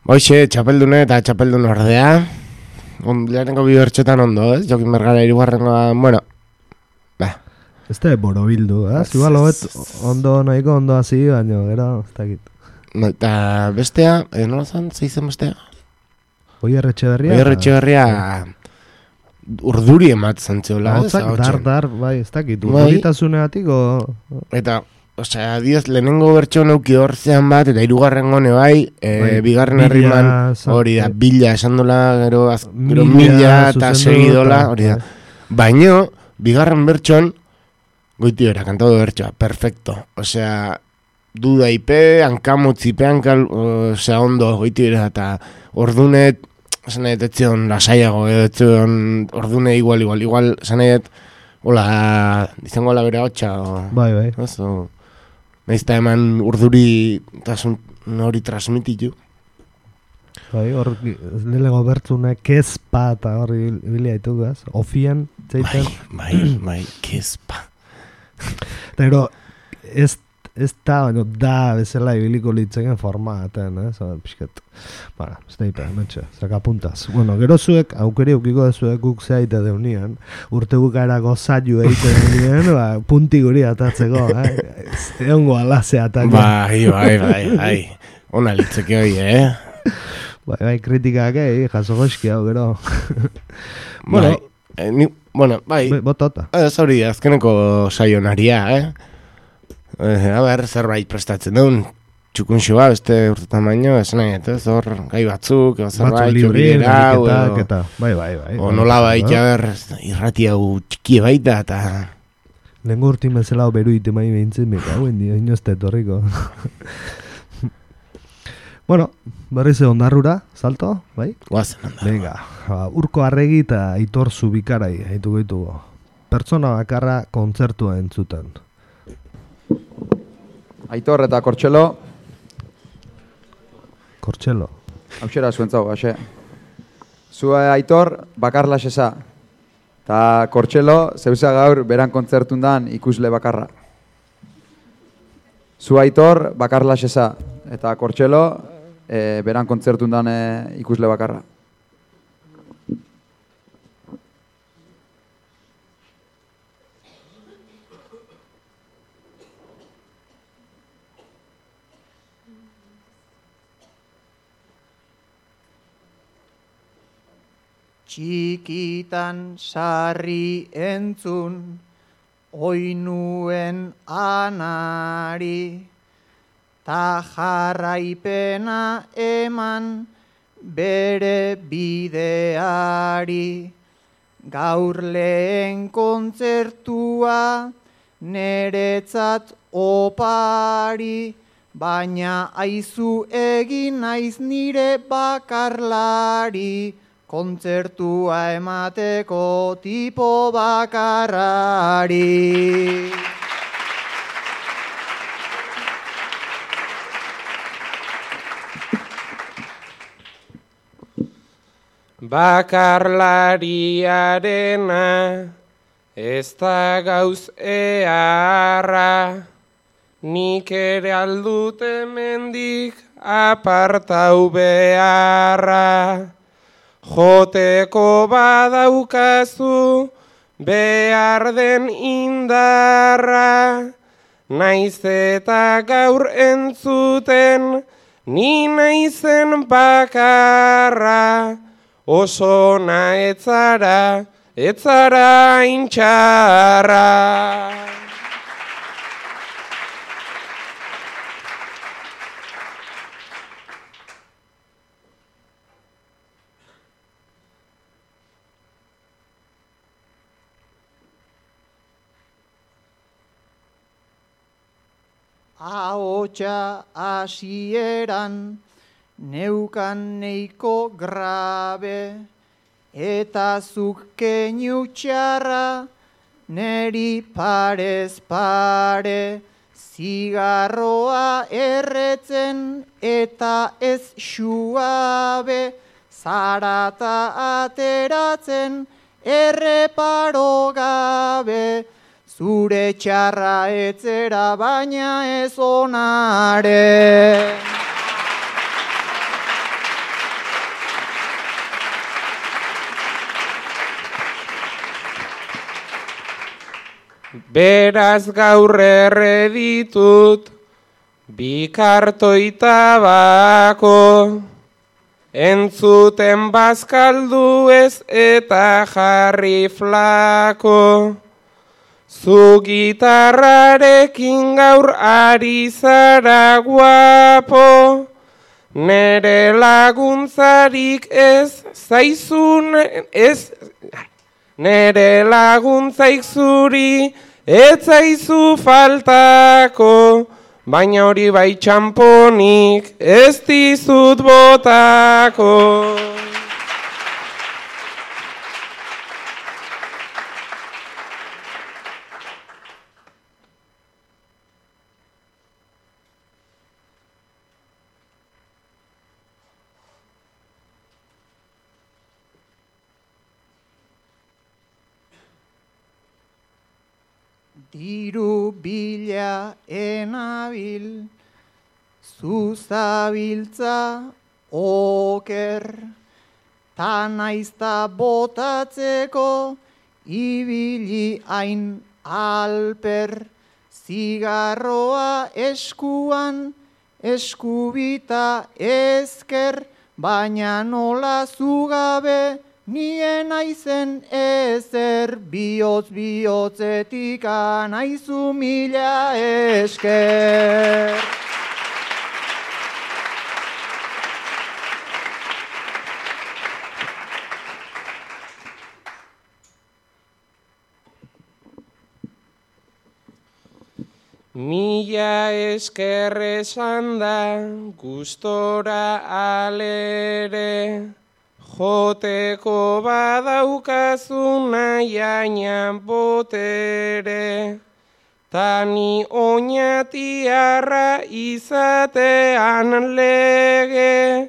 Boixe, txapeldune eta txapeldun ordea. Lehenengo bi bertxotan ondo, ez? Jokin bergara irugarrengoa, bueno. Ba. Ez da borobildu, eh? Igual hoet ondo nahiko ondo hasi, baina gero, ez dakit. No, eta bestea, eh, nola zan, zeizen bestea? Oier Etxeberria. Oier Etxeberria urduri ematzen zeola. Hotzak dar, dar, bai, ez dakit. Urduritasuneatik, o... Eta... Osea, dios, lehenengo bertxo neuki hortzean bat, eta hirugarren gone bai, e, bigarren herriman hori da, bila esan dola, gero, az, gero mila eta segidola, hori da. Baina, bigarren bertxon, goiti bera, kantado bertxoa, perfecto. Osea, duda ipe, hankamutzipe, hankal, osea, ondo, goiti bera, eta ordunet, zanet, etzion lasaiago, etzion ordune igual, igual, igual, zanet, hola, izango la bere hotxa, bai, bai. Oso, naizta eman urduri tasun hori transmititu. Bai, hor, lelego bertzune, kezpa eta hori bilia ditu, gaz? Ofian, zeiten. Bai, bai, bai, kezpa. Pero, ez, ez da, baina da, bezala ibiliko litzeken formaten, eh? Zaba, pixket. Bara, ez da ipe, metxe, zaka puntaz. Bueno, gero zuek, aukeri eukiko dezuek guk zeaite deunian, urte bukaerako zailu eite deunian, ba, punti guri atatzeko, eh? Egongo alazea atatzen. Bai, bai, bai, bai. Ona litzeke hoi, eh? Bai, bai, kritikak, eh? Jaso goxki hau, gero. Bueno, bai, eh, ni, bueno, bai. Botota. Ez hori, azkeneko saionaria, eh? Eh, a ber, zerbait prestatzen duen, txukunxo ba, beste urtetan baino, esan nahi, ez hor, gai batzuk, zerbait, txuriera, eta, bai, bai, bai. O nola baita, ber, irrati hau txikie baita, eta... Lengo urtin bezala beru ite mai behintzen, beka, hauen dio, inozte etorriko. Bueno, berriz ondarrura, salto, bai? Guazen ondarrura. Venga, Urko Arregi eta Aitor Zubikarai, haitu goitugu. Pertsona bakarra kontzertua entzuten. Aitor eta Kortxelo. Kortxelo. Hauxera zuentzau, haxe. Zua Aitor, bakarla sesa. Ta Kortxelo, zeusa gaur beran kontzertundan ikusle bakarra. Zua Aitor, bakarla sesa. Eta Kortxelo, e, beran kontzertundan e, ikusle bakarra. Txikitan sarri entzun, oinuen anari, ta jarraipena eman bere bideari. Gaur lehen kontzertua neretzat opari, baina aizu egin naiz nire bakarlari. Kontzertua emateko tipo bakarrari. Bakarlariarena ez da gauz eharra, nik ere aldut hemendik apartau beharra. Joteko badaukazu behar den indarra, naiz eta gaur entzuten ni naizen bakarra, oso na etzara, etzara intxarra. Ahotsa hasieran neukan neiko grabe, eta zuk keinu txarra neri parez pare, zigarroa erretzen eta ez xuabe, zarata ateratzen erreparo gabe. Zure txarra etzera baina ez onare. Beraz gaur erreditut bi kartoi tabako, entzuten bazkaldu ez eta jarri flako. Zu gitarrarekin gaur ari zara guapo, nere laguntzarik ez zaizun, ez, nere laguntzaik zuri ez zaizu faltako, baina hori bai txamponik ez dizut botako. Diru bila enabil, zuzabiltza oker, ta naizta botatzeko ibili hain alper, zigarroa eskuan, eskubita ezker, baina nola zugabe, nien aizen ezer, bihotz bihotzetik anaizu mila esker. Mila esker esan da, gustora alere, joteko badaukazu nahiaina botere, tani oinatiarra izatean lege,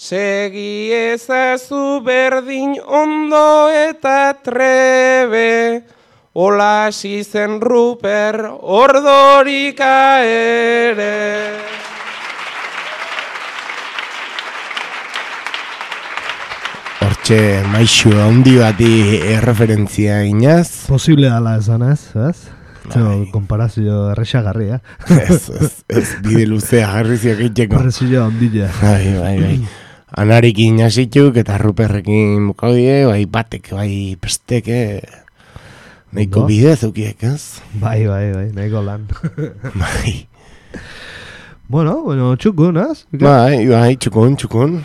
Segi ezazu berdin ondo eta trebe, hola hasi zen Ruper Ordorika ere. Hortxe maixu handi bati erreferentzia inaz. Posible ala esan ez, ez? Bai. Komparazio errexagarria. Ez, ez, ez, bide luzea jarriziak eiteko. Errezio handila. Bai, bai, bai. Anarekin hasituk eta Ruperrekin bukaudie, bai batek, bai pesteke, nahiko bide zukiek, ez? Bai, bai, bai, nahiko lan. Bai. Bueno, bueno, txukun, ez? Bai, bai, txukun, txukun.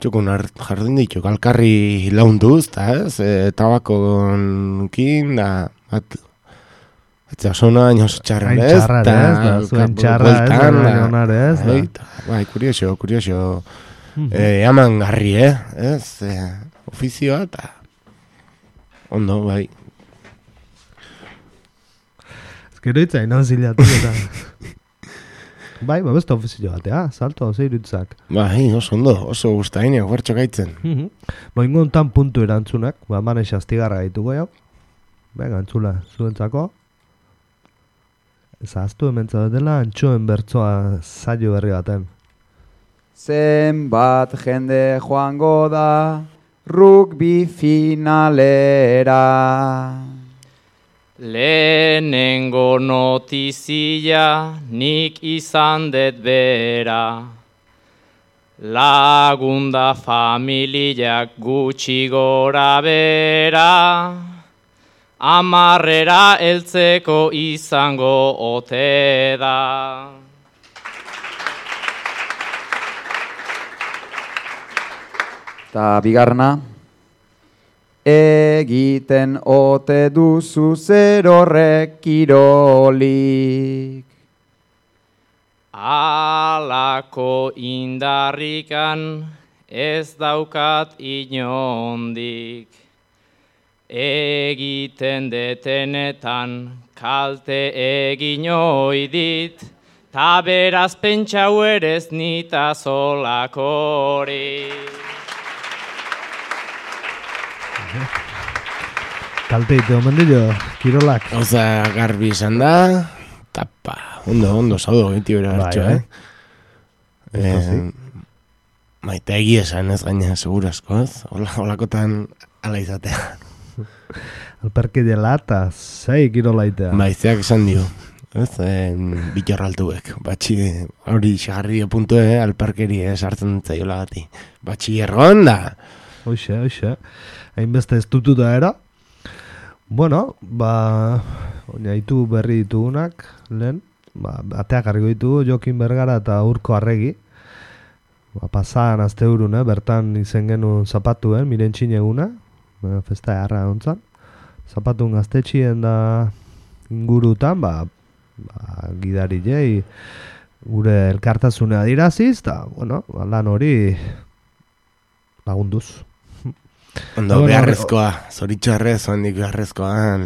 Txukun jardin ditu, kalkarri launtuz, eta ez? E, tabakonkin, da, bat, etza zona, inoz txarra ez? Txarra ez, zuen txarra ez, ez, bai, kurioso, kurioso. Eh, aman garri, eh? Ez, eh, ofizioa eta ondo, bai. Ez gero itzain, hau zilatu eta... Bai, ba, beste ofizio batea, salto, ze irutzak. Bai, oso ondo, oso guztain, eguertxo gaitzen. Ba, ingontan puntu erantzunak, ba, manes astigarra gaituko jau. Bega, antzula, zuentzako. Ez aztu hementza dela, antxoen bertzoa zailo berri baten. Zenbat jende joango da rugby finalera. Lehenengo notizia nik izan det bera. Lagunda familiak gutxi gora bera. Amarrera heltzeko izango ote da. Eta bigarna, egiten ote duzu zer horrek kirolik. Alako indarrikan ez daukat inondik. Egiten detenetan kalte egin oidit, ta beraz pentsau erez nita zolakorik. Kalteite, omen dio, kirolak. Oza, garbi izan da, tapa, ondo, ondo, zaudo, giti bera hartxo, eh? eh Maite egia esan ez gaina, segurazko, ez? Olakotan ala izatea. Alperki dela eta zei kirolaitea. Baizeak esan dio, ez? Bitorraltuek, batxi, hori xagarri puntu, eh? Alperkeri sartzen zaiola gati. Batxi erron da. Hoxe, hoxe. Hainbeste ez tututa era. Bueno, ba, oinaitu berri ditugunak, lehen, ba, ateak argo ditugu, Jokin Bergara eta Urko Arregi. Ba, pasan azte urun, eh, bertan izen genuen zapatuen, mirentxin eguna, ba, festa jarra ontzan. Zapatun gaztetxien da ingurutan, ba, ba gidari jei, gure elkartasuna diraziz, eta, bueno, ba, lan hori lagunduz. Ondo, bueno, beharrezkoa, zoritxarrez, ondik beharrezkoan,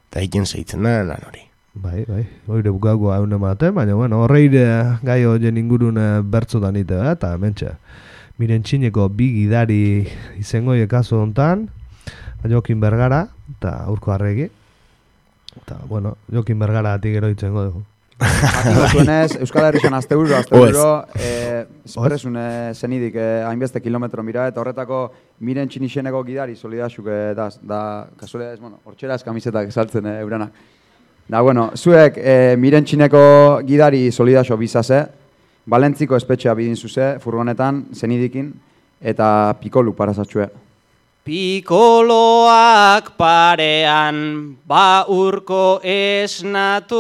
eta egin zeitzen da, lan hori. Bai, bai, oire bukagoa egun ematen, baina, bueno, horreire gai horien ingurun bertzotan ite, eh? Eta mentxe, mirentxineko bi gidari izengoie kaso hontan, Jokin Bergara, eta Urko Arregi, eta, bueno, Jokin Bergara ati gero itzengo dugu. Atiko zuenez, Euskal Herrixan azte euro, azte euro, eh, espresun eh, zenidik eh, hainbeste kilometro mira, eta horretako miren txinixeneko gidari solidasuk eh, da, da kasualea ez, bueno, hortxera ez kamisetak esaltzen eh, euranak. Da, bueno, zuek eh, miren txineko gidari solidaso bizaze, Balentziko espetxea bidin zuze, furgonetan, zenidikin, eta pikolu parazatxue. Pikoloak parean, ba Urko esnatu,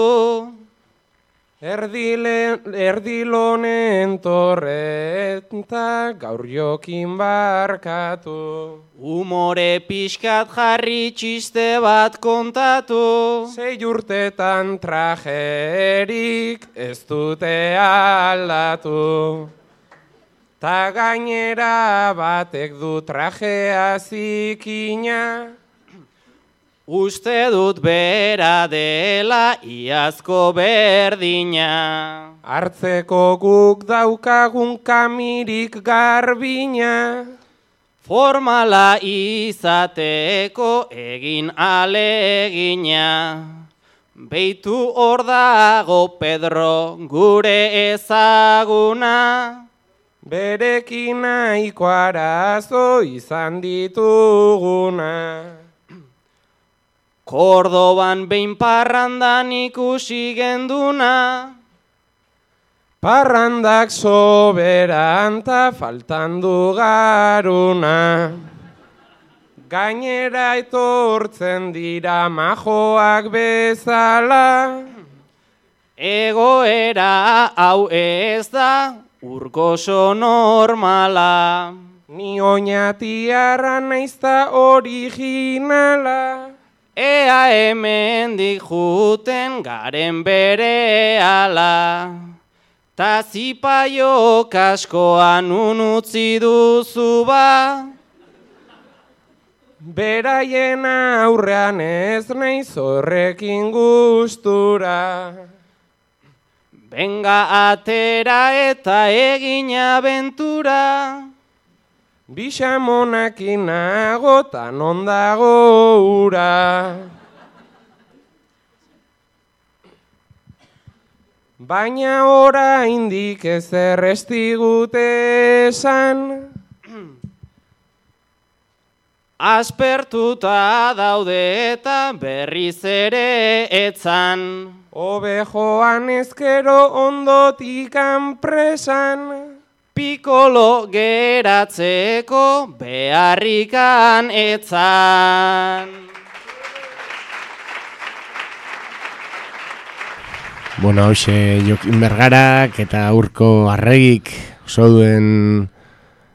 Erdile, erdilonen torreta gaur Jokin barkatu. Umore pixkat jarri txiste bat kontatu. Sei urtetan trajerik ez dute aldatu. Ta gainera batek du trajea zikina. Uste dut bera dela iazko berdina. Hartzeko guk daukagun kamirik garbina. Formala izateko egin alegina. Beitu hor dago Pedro gure ezaguna. Berekin nahiko arazo izan dituguna. Kordoban behin parrandan ikusi genduna. Parrandak soberan ta faltan du garuna. Gainera etortzen dira majoak bezala. Egoera hau ez da urkoso normala. Ni oinatiarra naizta originala. Ea hemendik juten garen berehala. Ta zipaio kaskoan unutzi duzu ba. Beraien aurrean ez naiz horrekin gustura. Benga atera eta egin abentura. Bixamonakin nago ta non dago ura. Baina oraindik ezer ez digute esan. Aspertuta daude eta berriz ere etzan. Hobe joan ezkero ondotik presan. Pikolo geratzeko beharrikan etzan. Bueno, hoxe Jokin Bergarak eta Urko Arregik oso duen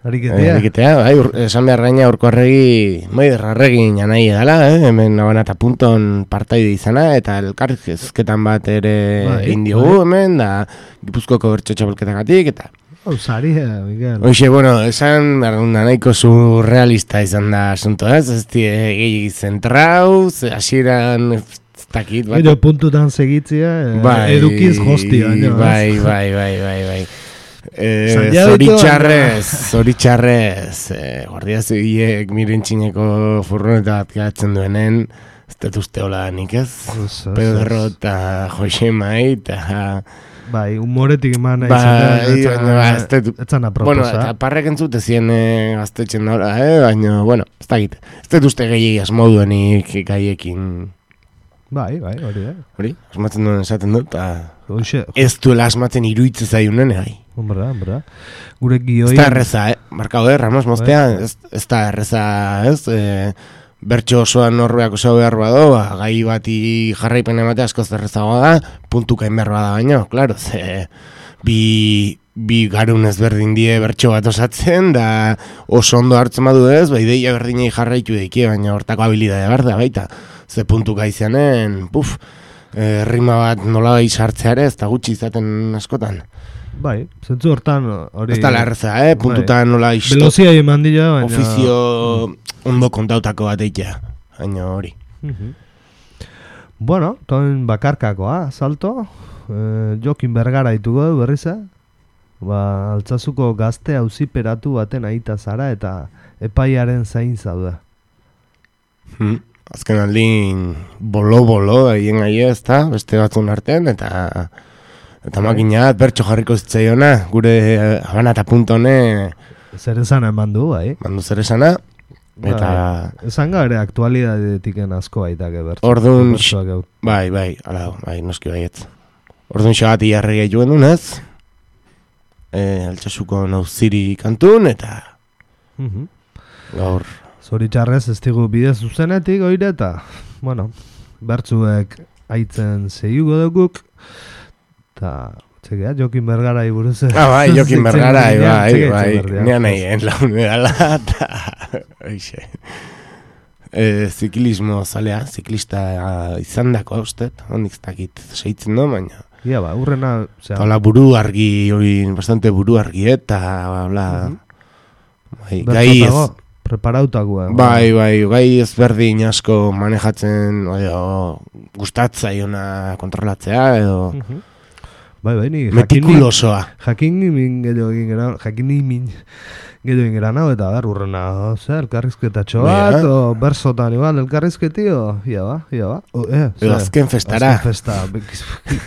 ariketea. Ariketea, bai, ur, esan behar gaina Urko Arregi, Maider Arregi janai edala, eh? Hemen Habana eta Punton partaide izana, eta elkarrizketan bat ere bai, egin diogu bai. hemen, da Gipuzkoako bertso txapelketagatik, eta Ausaria, Miguel. Hoxe, bueno, esan arguna nahiko surrealista izan da asunto, ez? Ez die gehi zentrauz, hasieran ez dakit. Gero puntutan segitzia, bai, edukiz hostia. Bai, bai, bai, bai, bai. Eh, zoritxarrez, zoritxarrez, eh, guardia zibilek miren txineko furgoneta bat geratzen duenen, ez dut uste hola nik ez? Pedro eta Josemai eta... Bai, humoretik eman nahi bai, zen, etzan aproposa. Bueno, eta parrek entzute zien eh, gaztetxen daura, eh? Baina, bueno, ez dakit. Ez dut uste gehiagi asmoduenik gaiekin. Bai, bai, hori da. Hori, asmatzen duen esaten dut, eta ez duela asmatzen iruitze zaiunen, bai. Hombre, hombre. Gure gioi... Ez da erreza, eh? Markau, eh? Ramos Mostea, ez, ez da erreza, ez? Eh, bertso osoan norbeak oso behar bado, ba, gai bati jarraipen ematea askoz errezagoa da, puntukain behar bada baino, klaro, ze bi, bi garun ezberdin die bertso bat osatzen, da oso ondo hartzen badu ez, ba, ideia berdinei jarraitu daikie, baina hortako habilidade behar da baita, ze puntuka izanen, puf, e, rima bat nola bai sartzeare, ez da gutxi izaten askotan. Bai, zentzu hortan hori... Ez da larreza, eh? Puntutan bai. Nola isto... Velozia eman dira, baina... Ofizio ondo kontautako bat eitea, baina hori. Uh-huh. Bueno, toin bakarkakoa, salto. Eh, Jokin Bergara ditugu du berriza. Ba, Altsasuko gazte auziperatu baten aita zara eta epaiaren zain zauda. Hmm. Azken aldin bolo-bolo egin gai ez da, beste batzun artean, eta... Eta makina bat bertso jarriko zitzaiona, gure Habana eta Puntone... Zer esana eman du, bai? Mandu zer esana, eta... Esan gaire aktualidadetiken asko baitake bertso. Orduan... Bai, bai, ala, bai, noski baiet. Orduan xagati jarri gehi joan dunez, e, Altsasuko nauziri kantun, eta... Uh-huh. Gaur... Zoritxarrez ez digu bide zuzenetik oire, eta... Bueno, bertzuek aitzen zeiugo duguk, eta... Txekea, Jokin Bergara iburuz. Ah, bai, Jokin Bergara, bai, bai, nean egin laun edala, eta... Oixe. E, ziklismo zalea, ziklista izan dako haustet, hondik ez dakit seitzen do, baina... Ia ba, urrena... Hala buru argi, hori bastante buru argi, eta... Bla, uh-huh. bai, gai ez... Preparautakoa. Bai, bai, gai ezberdin asko manejatzen, edo, gustatzaiona kontrolatzea, edo... Uh-huh. Bai, bai, ni metikulosoa. Jakin nimin gero egin gara, jakin nimin gero egin gara nao, eta ber, urrena, zer, elkarrizketatxo bat, o bersotan igual, elkarrizketio, ia ba, ia ba. O, eh, edo azken festara. Azken festa,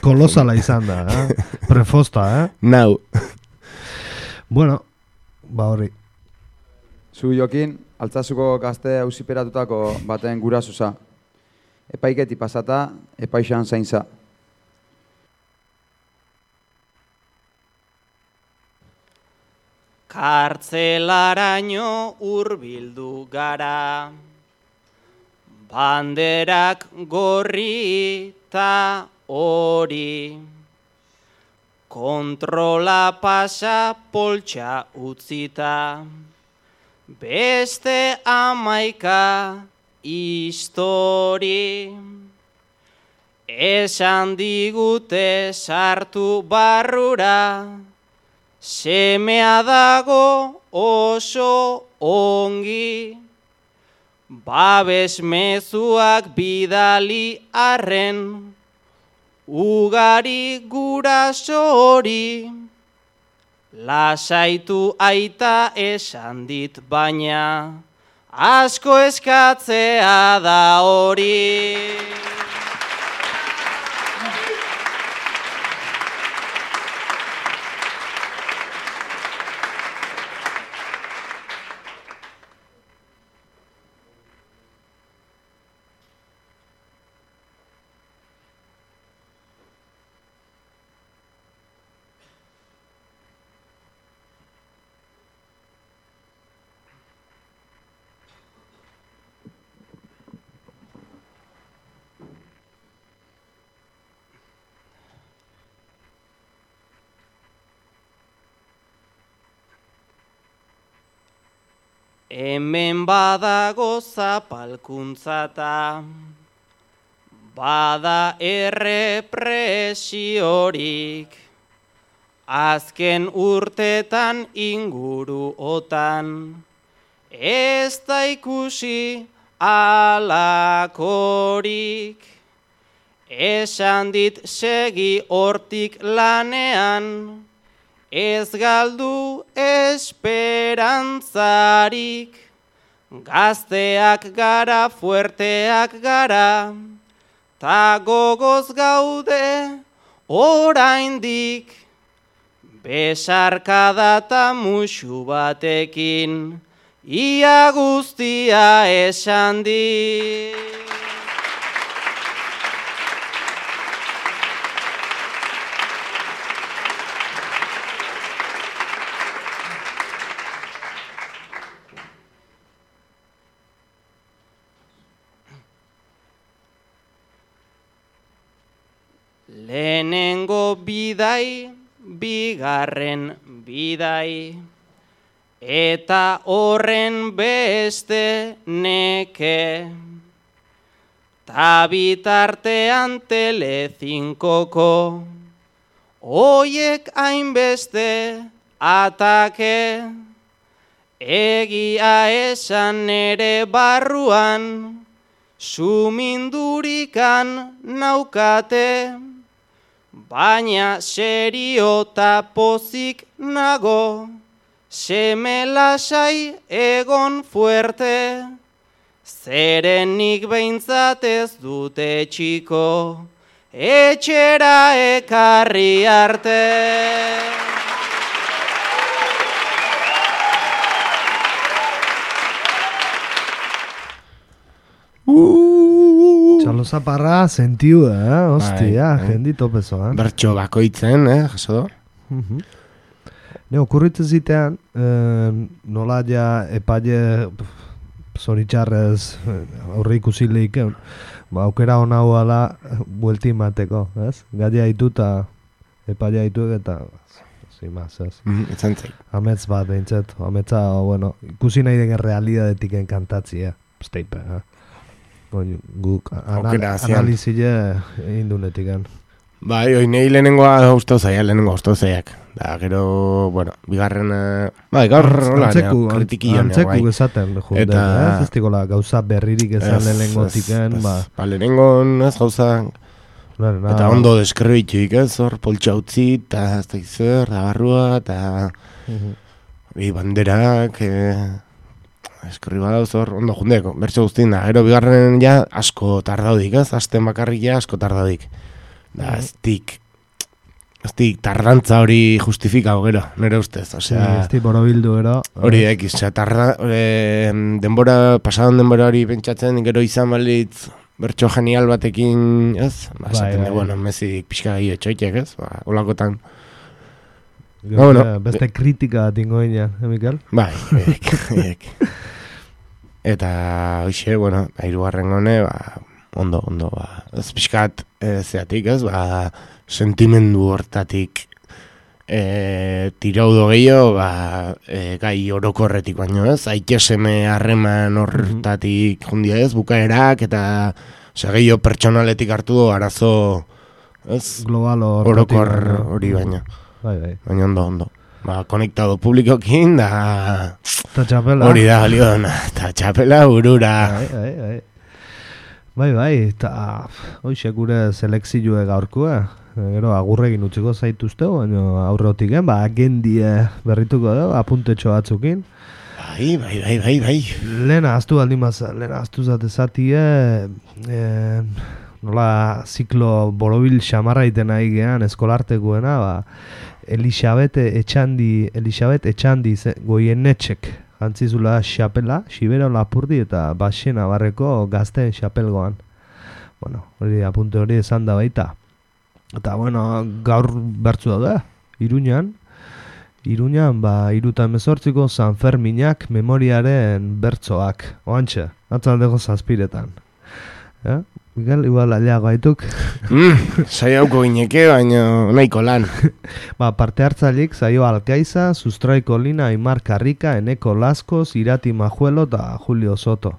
kolosala izan da, eh? Prefosta, eh? Nau. Bueno, ba horri. Zu Jokin, Altzazuko gazte auziperatutako baten gurasoza. Epaiketi pasata, epaixan zaintza. Kartzelaraino hurbildu gara, banderak gorri ta hori, kontrola pasa poltsa utzita, beste amaika histori, esan digute sartu barrura, semea dago oso ongi, babes mezuak bidali arren, ugari guraso hori, lasaitu aita esan dit baina, asko eskatzea da hori. Hemen badago zapalkuntzata, bada errepresiorik, azken urtetan inguruotan, ez da ikusi alakorik, esan dit segi hortik lanean, ez galdu esperantzarik, gazteak gara, fuerteak gara, ta gogoz gaude oraindik, besarkada ta musu batekin, ia guztia esan dik. Lehenengo bidai, bigarren bidai, eta horren beste neke. Ta bitartean Telecincoko, oiek hainbeste atake, egia esan ere barruan, sumindurikan naukate, baina serio ta pozik nago, seme lasai egon fuerte, zerenik behintzat ez dute txiko, etxera ekarri arte. Txalo zaparra sentiu, eh? Ostia, jendi topezo, eh? Bertxo bakoitzen, eh? Jaso do? Ne, okurritzen zitean, nola ja epaile zoritxarrez aurre ikusi lehiken, ba, aukera hona huala buelti mateko, ez? Gaia hituta, epaile hituek eta, zimaz, ez? Etzantzai. Amets bat, behintzet, ametza, bueno, ikusi nahi den realidadetik enkantatzia, steipe, eh? Guk analizile egin dunetik. Bai, hoi nahi lehenengoa gustau zaia, lehenengoa gustau zaiak. Da, gero, bueno, bigarren, bai, gaur hola, kritikioan. Antzeku esaten, junde, ez ez dikola gauza berririk ezan lehenengotiken, ba. Ba, lehenengon, ez gauza, eta ondo deskribituik, ez, hor, poltsa utzi, eta ez da izer, da barrua, eta bi banderak, eskribala dauz hor, ondo jundeko, bertso guztien da, gero bigarren ja asko tardaudik, ez, asten bakarrik ja asko tardaudik. Da, ez dik, ez dik tardantza hori justifikago gero, nire ustez, osea... Ez dik borobildu gero... Hori ekiz, osea, tarda, e, denbora, pasadan denbora hori pentsatzen, gero izan balitz, bertso genial batekin, ez? Ba, esaten dugu, bueno, mezik pixka gehi etxoitek, ez? Ba, olakotan... Ba, bueno, beste kritika tingo inean, eh, Mikel? Bai, ek, ek. Eta, hoxe, bueno, hirugarren gone, ba, ondo, ondo, ba, ez pixkat, e, zeatik, ez? Ba, sentimendu hortatik e, tiraudo gehiago, ba, e, gai orokorretik baino, ez? Aikeseme harreman hortatik jundia, ez? Bukaerak, eta ose, gehiago pertsonaletik hartu do arazo, ez? Global orokor hori baino. Bai, bai. Baina ondo, ondo. Ba, konektado publikokin, da... Ta txapela. Hori da, Liona. Ta txapela urura. Bai, bai, bai. Bai, bai, eta hoxe gure selekzioe gaurkoa. Gero agurregin utziko zaituzte, baina aurretik, eh? Ba, agendie berrituko da, apuntetxo batzukin. Bai, bai, bai, bai, bai. Lehena, aztu baldin baza, lehena aztu zatezatie, eh, nola ziklo borobil xamarraiten nahi gehan eskolartekoena, ba, Elisabet Etxandi, Elisabet Etxandi goienetxek jantzizula xapela, xibera lapurdi eta baxena barreko gazteen xapelgoan. Bueno, hori apunte hori esan da baita. Eta, bueno, gaur bertzu daude, Iruñan. Iruñan, ba, iruta emezortziko San Ferminak memoriaren bertzoak. Oantxe, atzaldeko zazpiretan. Ja? Miguel, igual aliago haituk. Mm, saiauko gineke, baina nahiko lan. Ba, parte hartzailik, Zaio Alkaiza, Sustraiko Lina, Aimar Karrika, Eneko Laskoz, Irati Majuelo eta Julio Soto.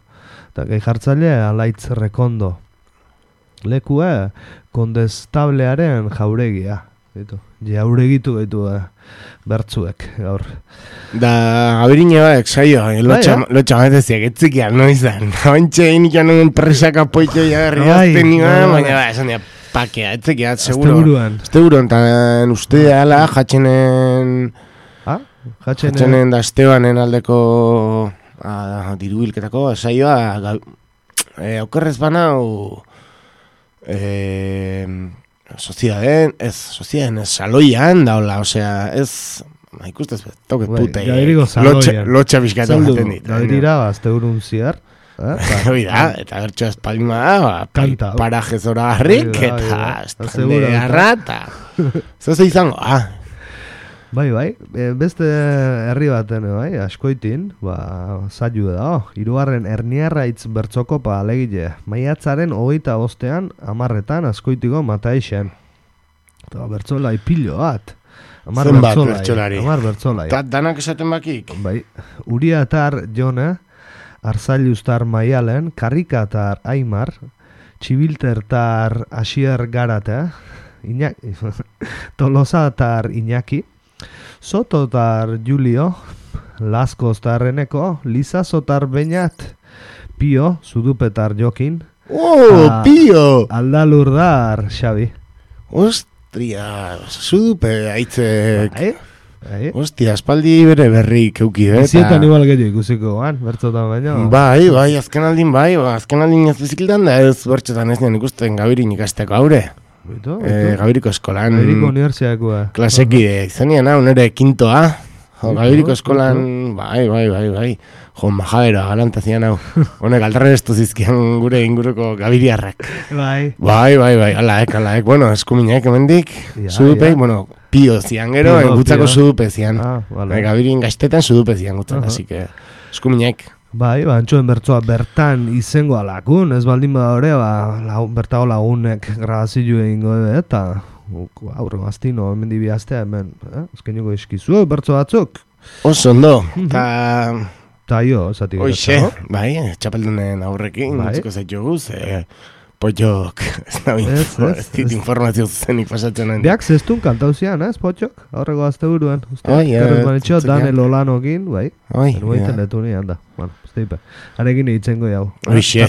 Eta gai jartzaile, Alaitz Rekondo. Lekue, Kondestablearen jauregia. Jauregitu gaitu da, bertzuek, gaur. Da, abirine baek, saio, lotxa bateziak, etzikiak, noizan. Ointxe, inikan nuen presaka poito jagarri azten nian, baina ba, esan dira, pakea, etzikiak, seguro. Azte buruan. Azte buruan, eta uste ala, jatxenen... Ha? Jatxenen da Estebanen aldeko dirubilketako, saioa, aukerrez banau... Eh... Soziaden, ez, soziaden, ez, saloian daula, osea, ez, ma ikustez, toke pute, lotxa bizkatu jaten dit. Gairira, azte urun ziar. Hoi da, eta gertxo espalima da, paraje zora garrik, eta estande garra, eta zoze izango, ah. Bai, bai, beste herri baten, bai, askoitin, ba, zailu da, oh, hirugarren Erniarraitz bertzokopa alegile, maiatzaren hogeita bostean, amarretan, askoitiko Mataixen. Eta bertzolai pilo bat. Amar bertzolai. Amar bertzolai. Eta danak esaten bakik? Bai, Uriatar Jone, Arzailuztar Maialen, Karrikatar Aimar, Txibiltertar Asier Garate, Iñaki, Tolosatar Iñaki, Sototar Julio, Laskoztar Eneko, Lizazotar Beñat, Pio, Zudupetar Jokin. Oh, Pio! Aldalurdar Xabi. Ostria, Zudupe aitzek. Bai, bai. Ostia, espaldi bere berrik euki, eh? Zietan igual gehiago ikusiko, gan, bertzotan baino. Bai, bai, azken aldin bai, azken aldin ez bizikiltan da ez bertzotan ez nian ikusten gabirin ikasteko haure. Bito, bito. E, Gabiriko eskolan Gabiriko unibertsiakoa klasekide, zenian hau nire kintoa jo, Gabiriko eskolan bito. Bai, bai, bai, bai Jo, majadera, galantazian hau Honek aldarren estu zizkian gure inguruko gabiriarrak Bai Bai, bai, bai, alaek, alaek Bueno, eskuminak emendik, ja, sudupeik, ja. Bueno, pio zian gero, gutzako sudupe zian ah, vale. Gabirin gaztetan sudupe zian gutzak, uh -huh. Así que eskuminak Bai, ba, antxoen bertzoa bertan izango alakun, ez baldin bada hori, ba, lagun, bertago lagunek grabazio egingo ebe, eta aurre maztino, hemen dibi astea, hemen, eh? Ezkeniko eskizu, bertzo batzuk. Oso ondo, eta... Eta jo, zati Oixe, bai, txapeldunen aurrekin, bai. Utziko zaitu guz, e, Potxok, ez da dit informazio zuzenik pasatzen nahi. Biak zestun kantauzian, ez, Potxok? Aurreko azte buruan. Carlos Manitxo, Daniel Olanokin, bai. Nuaiten letu nian da. Bueno, zteipe. Arekin itzengo jau. Oixe,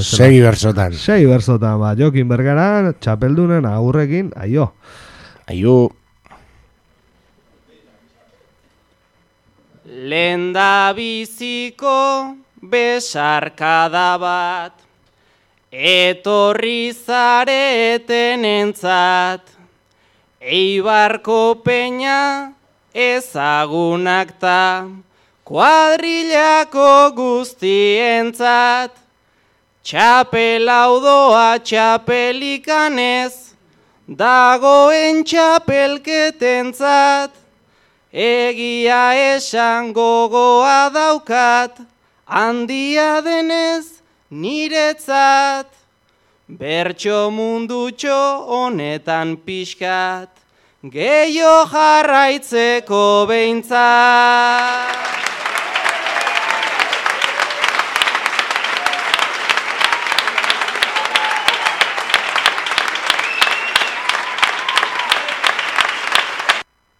segi bersotan. Segi bersotan, ba. Jokin Bergara, txapeldunen agurrekin, aio. Aio. Lenda biziko besarkada bat, etorri zareten entzat, Eibarko peña ezagunak ta, kuadrillako guztientzat, txapelaudoa txapelikanez, dagoen txapelketentzat, egia esan gogoa daukat, handia denez niretzat, bertso mundutxo honetan pixkat, gehiago jarraitzeko behintzat.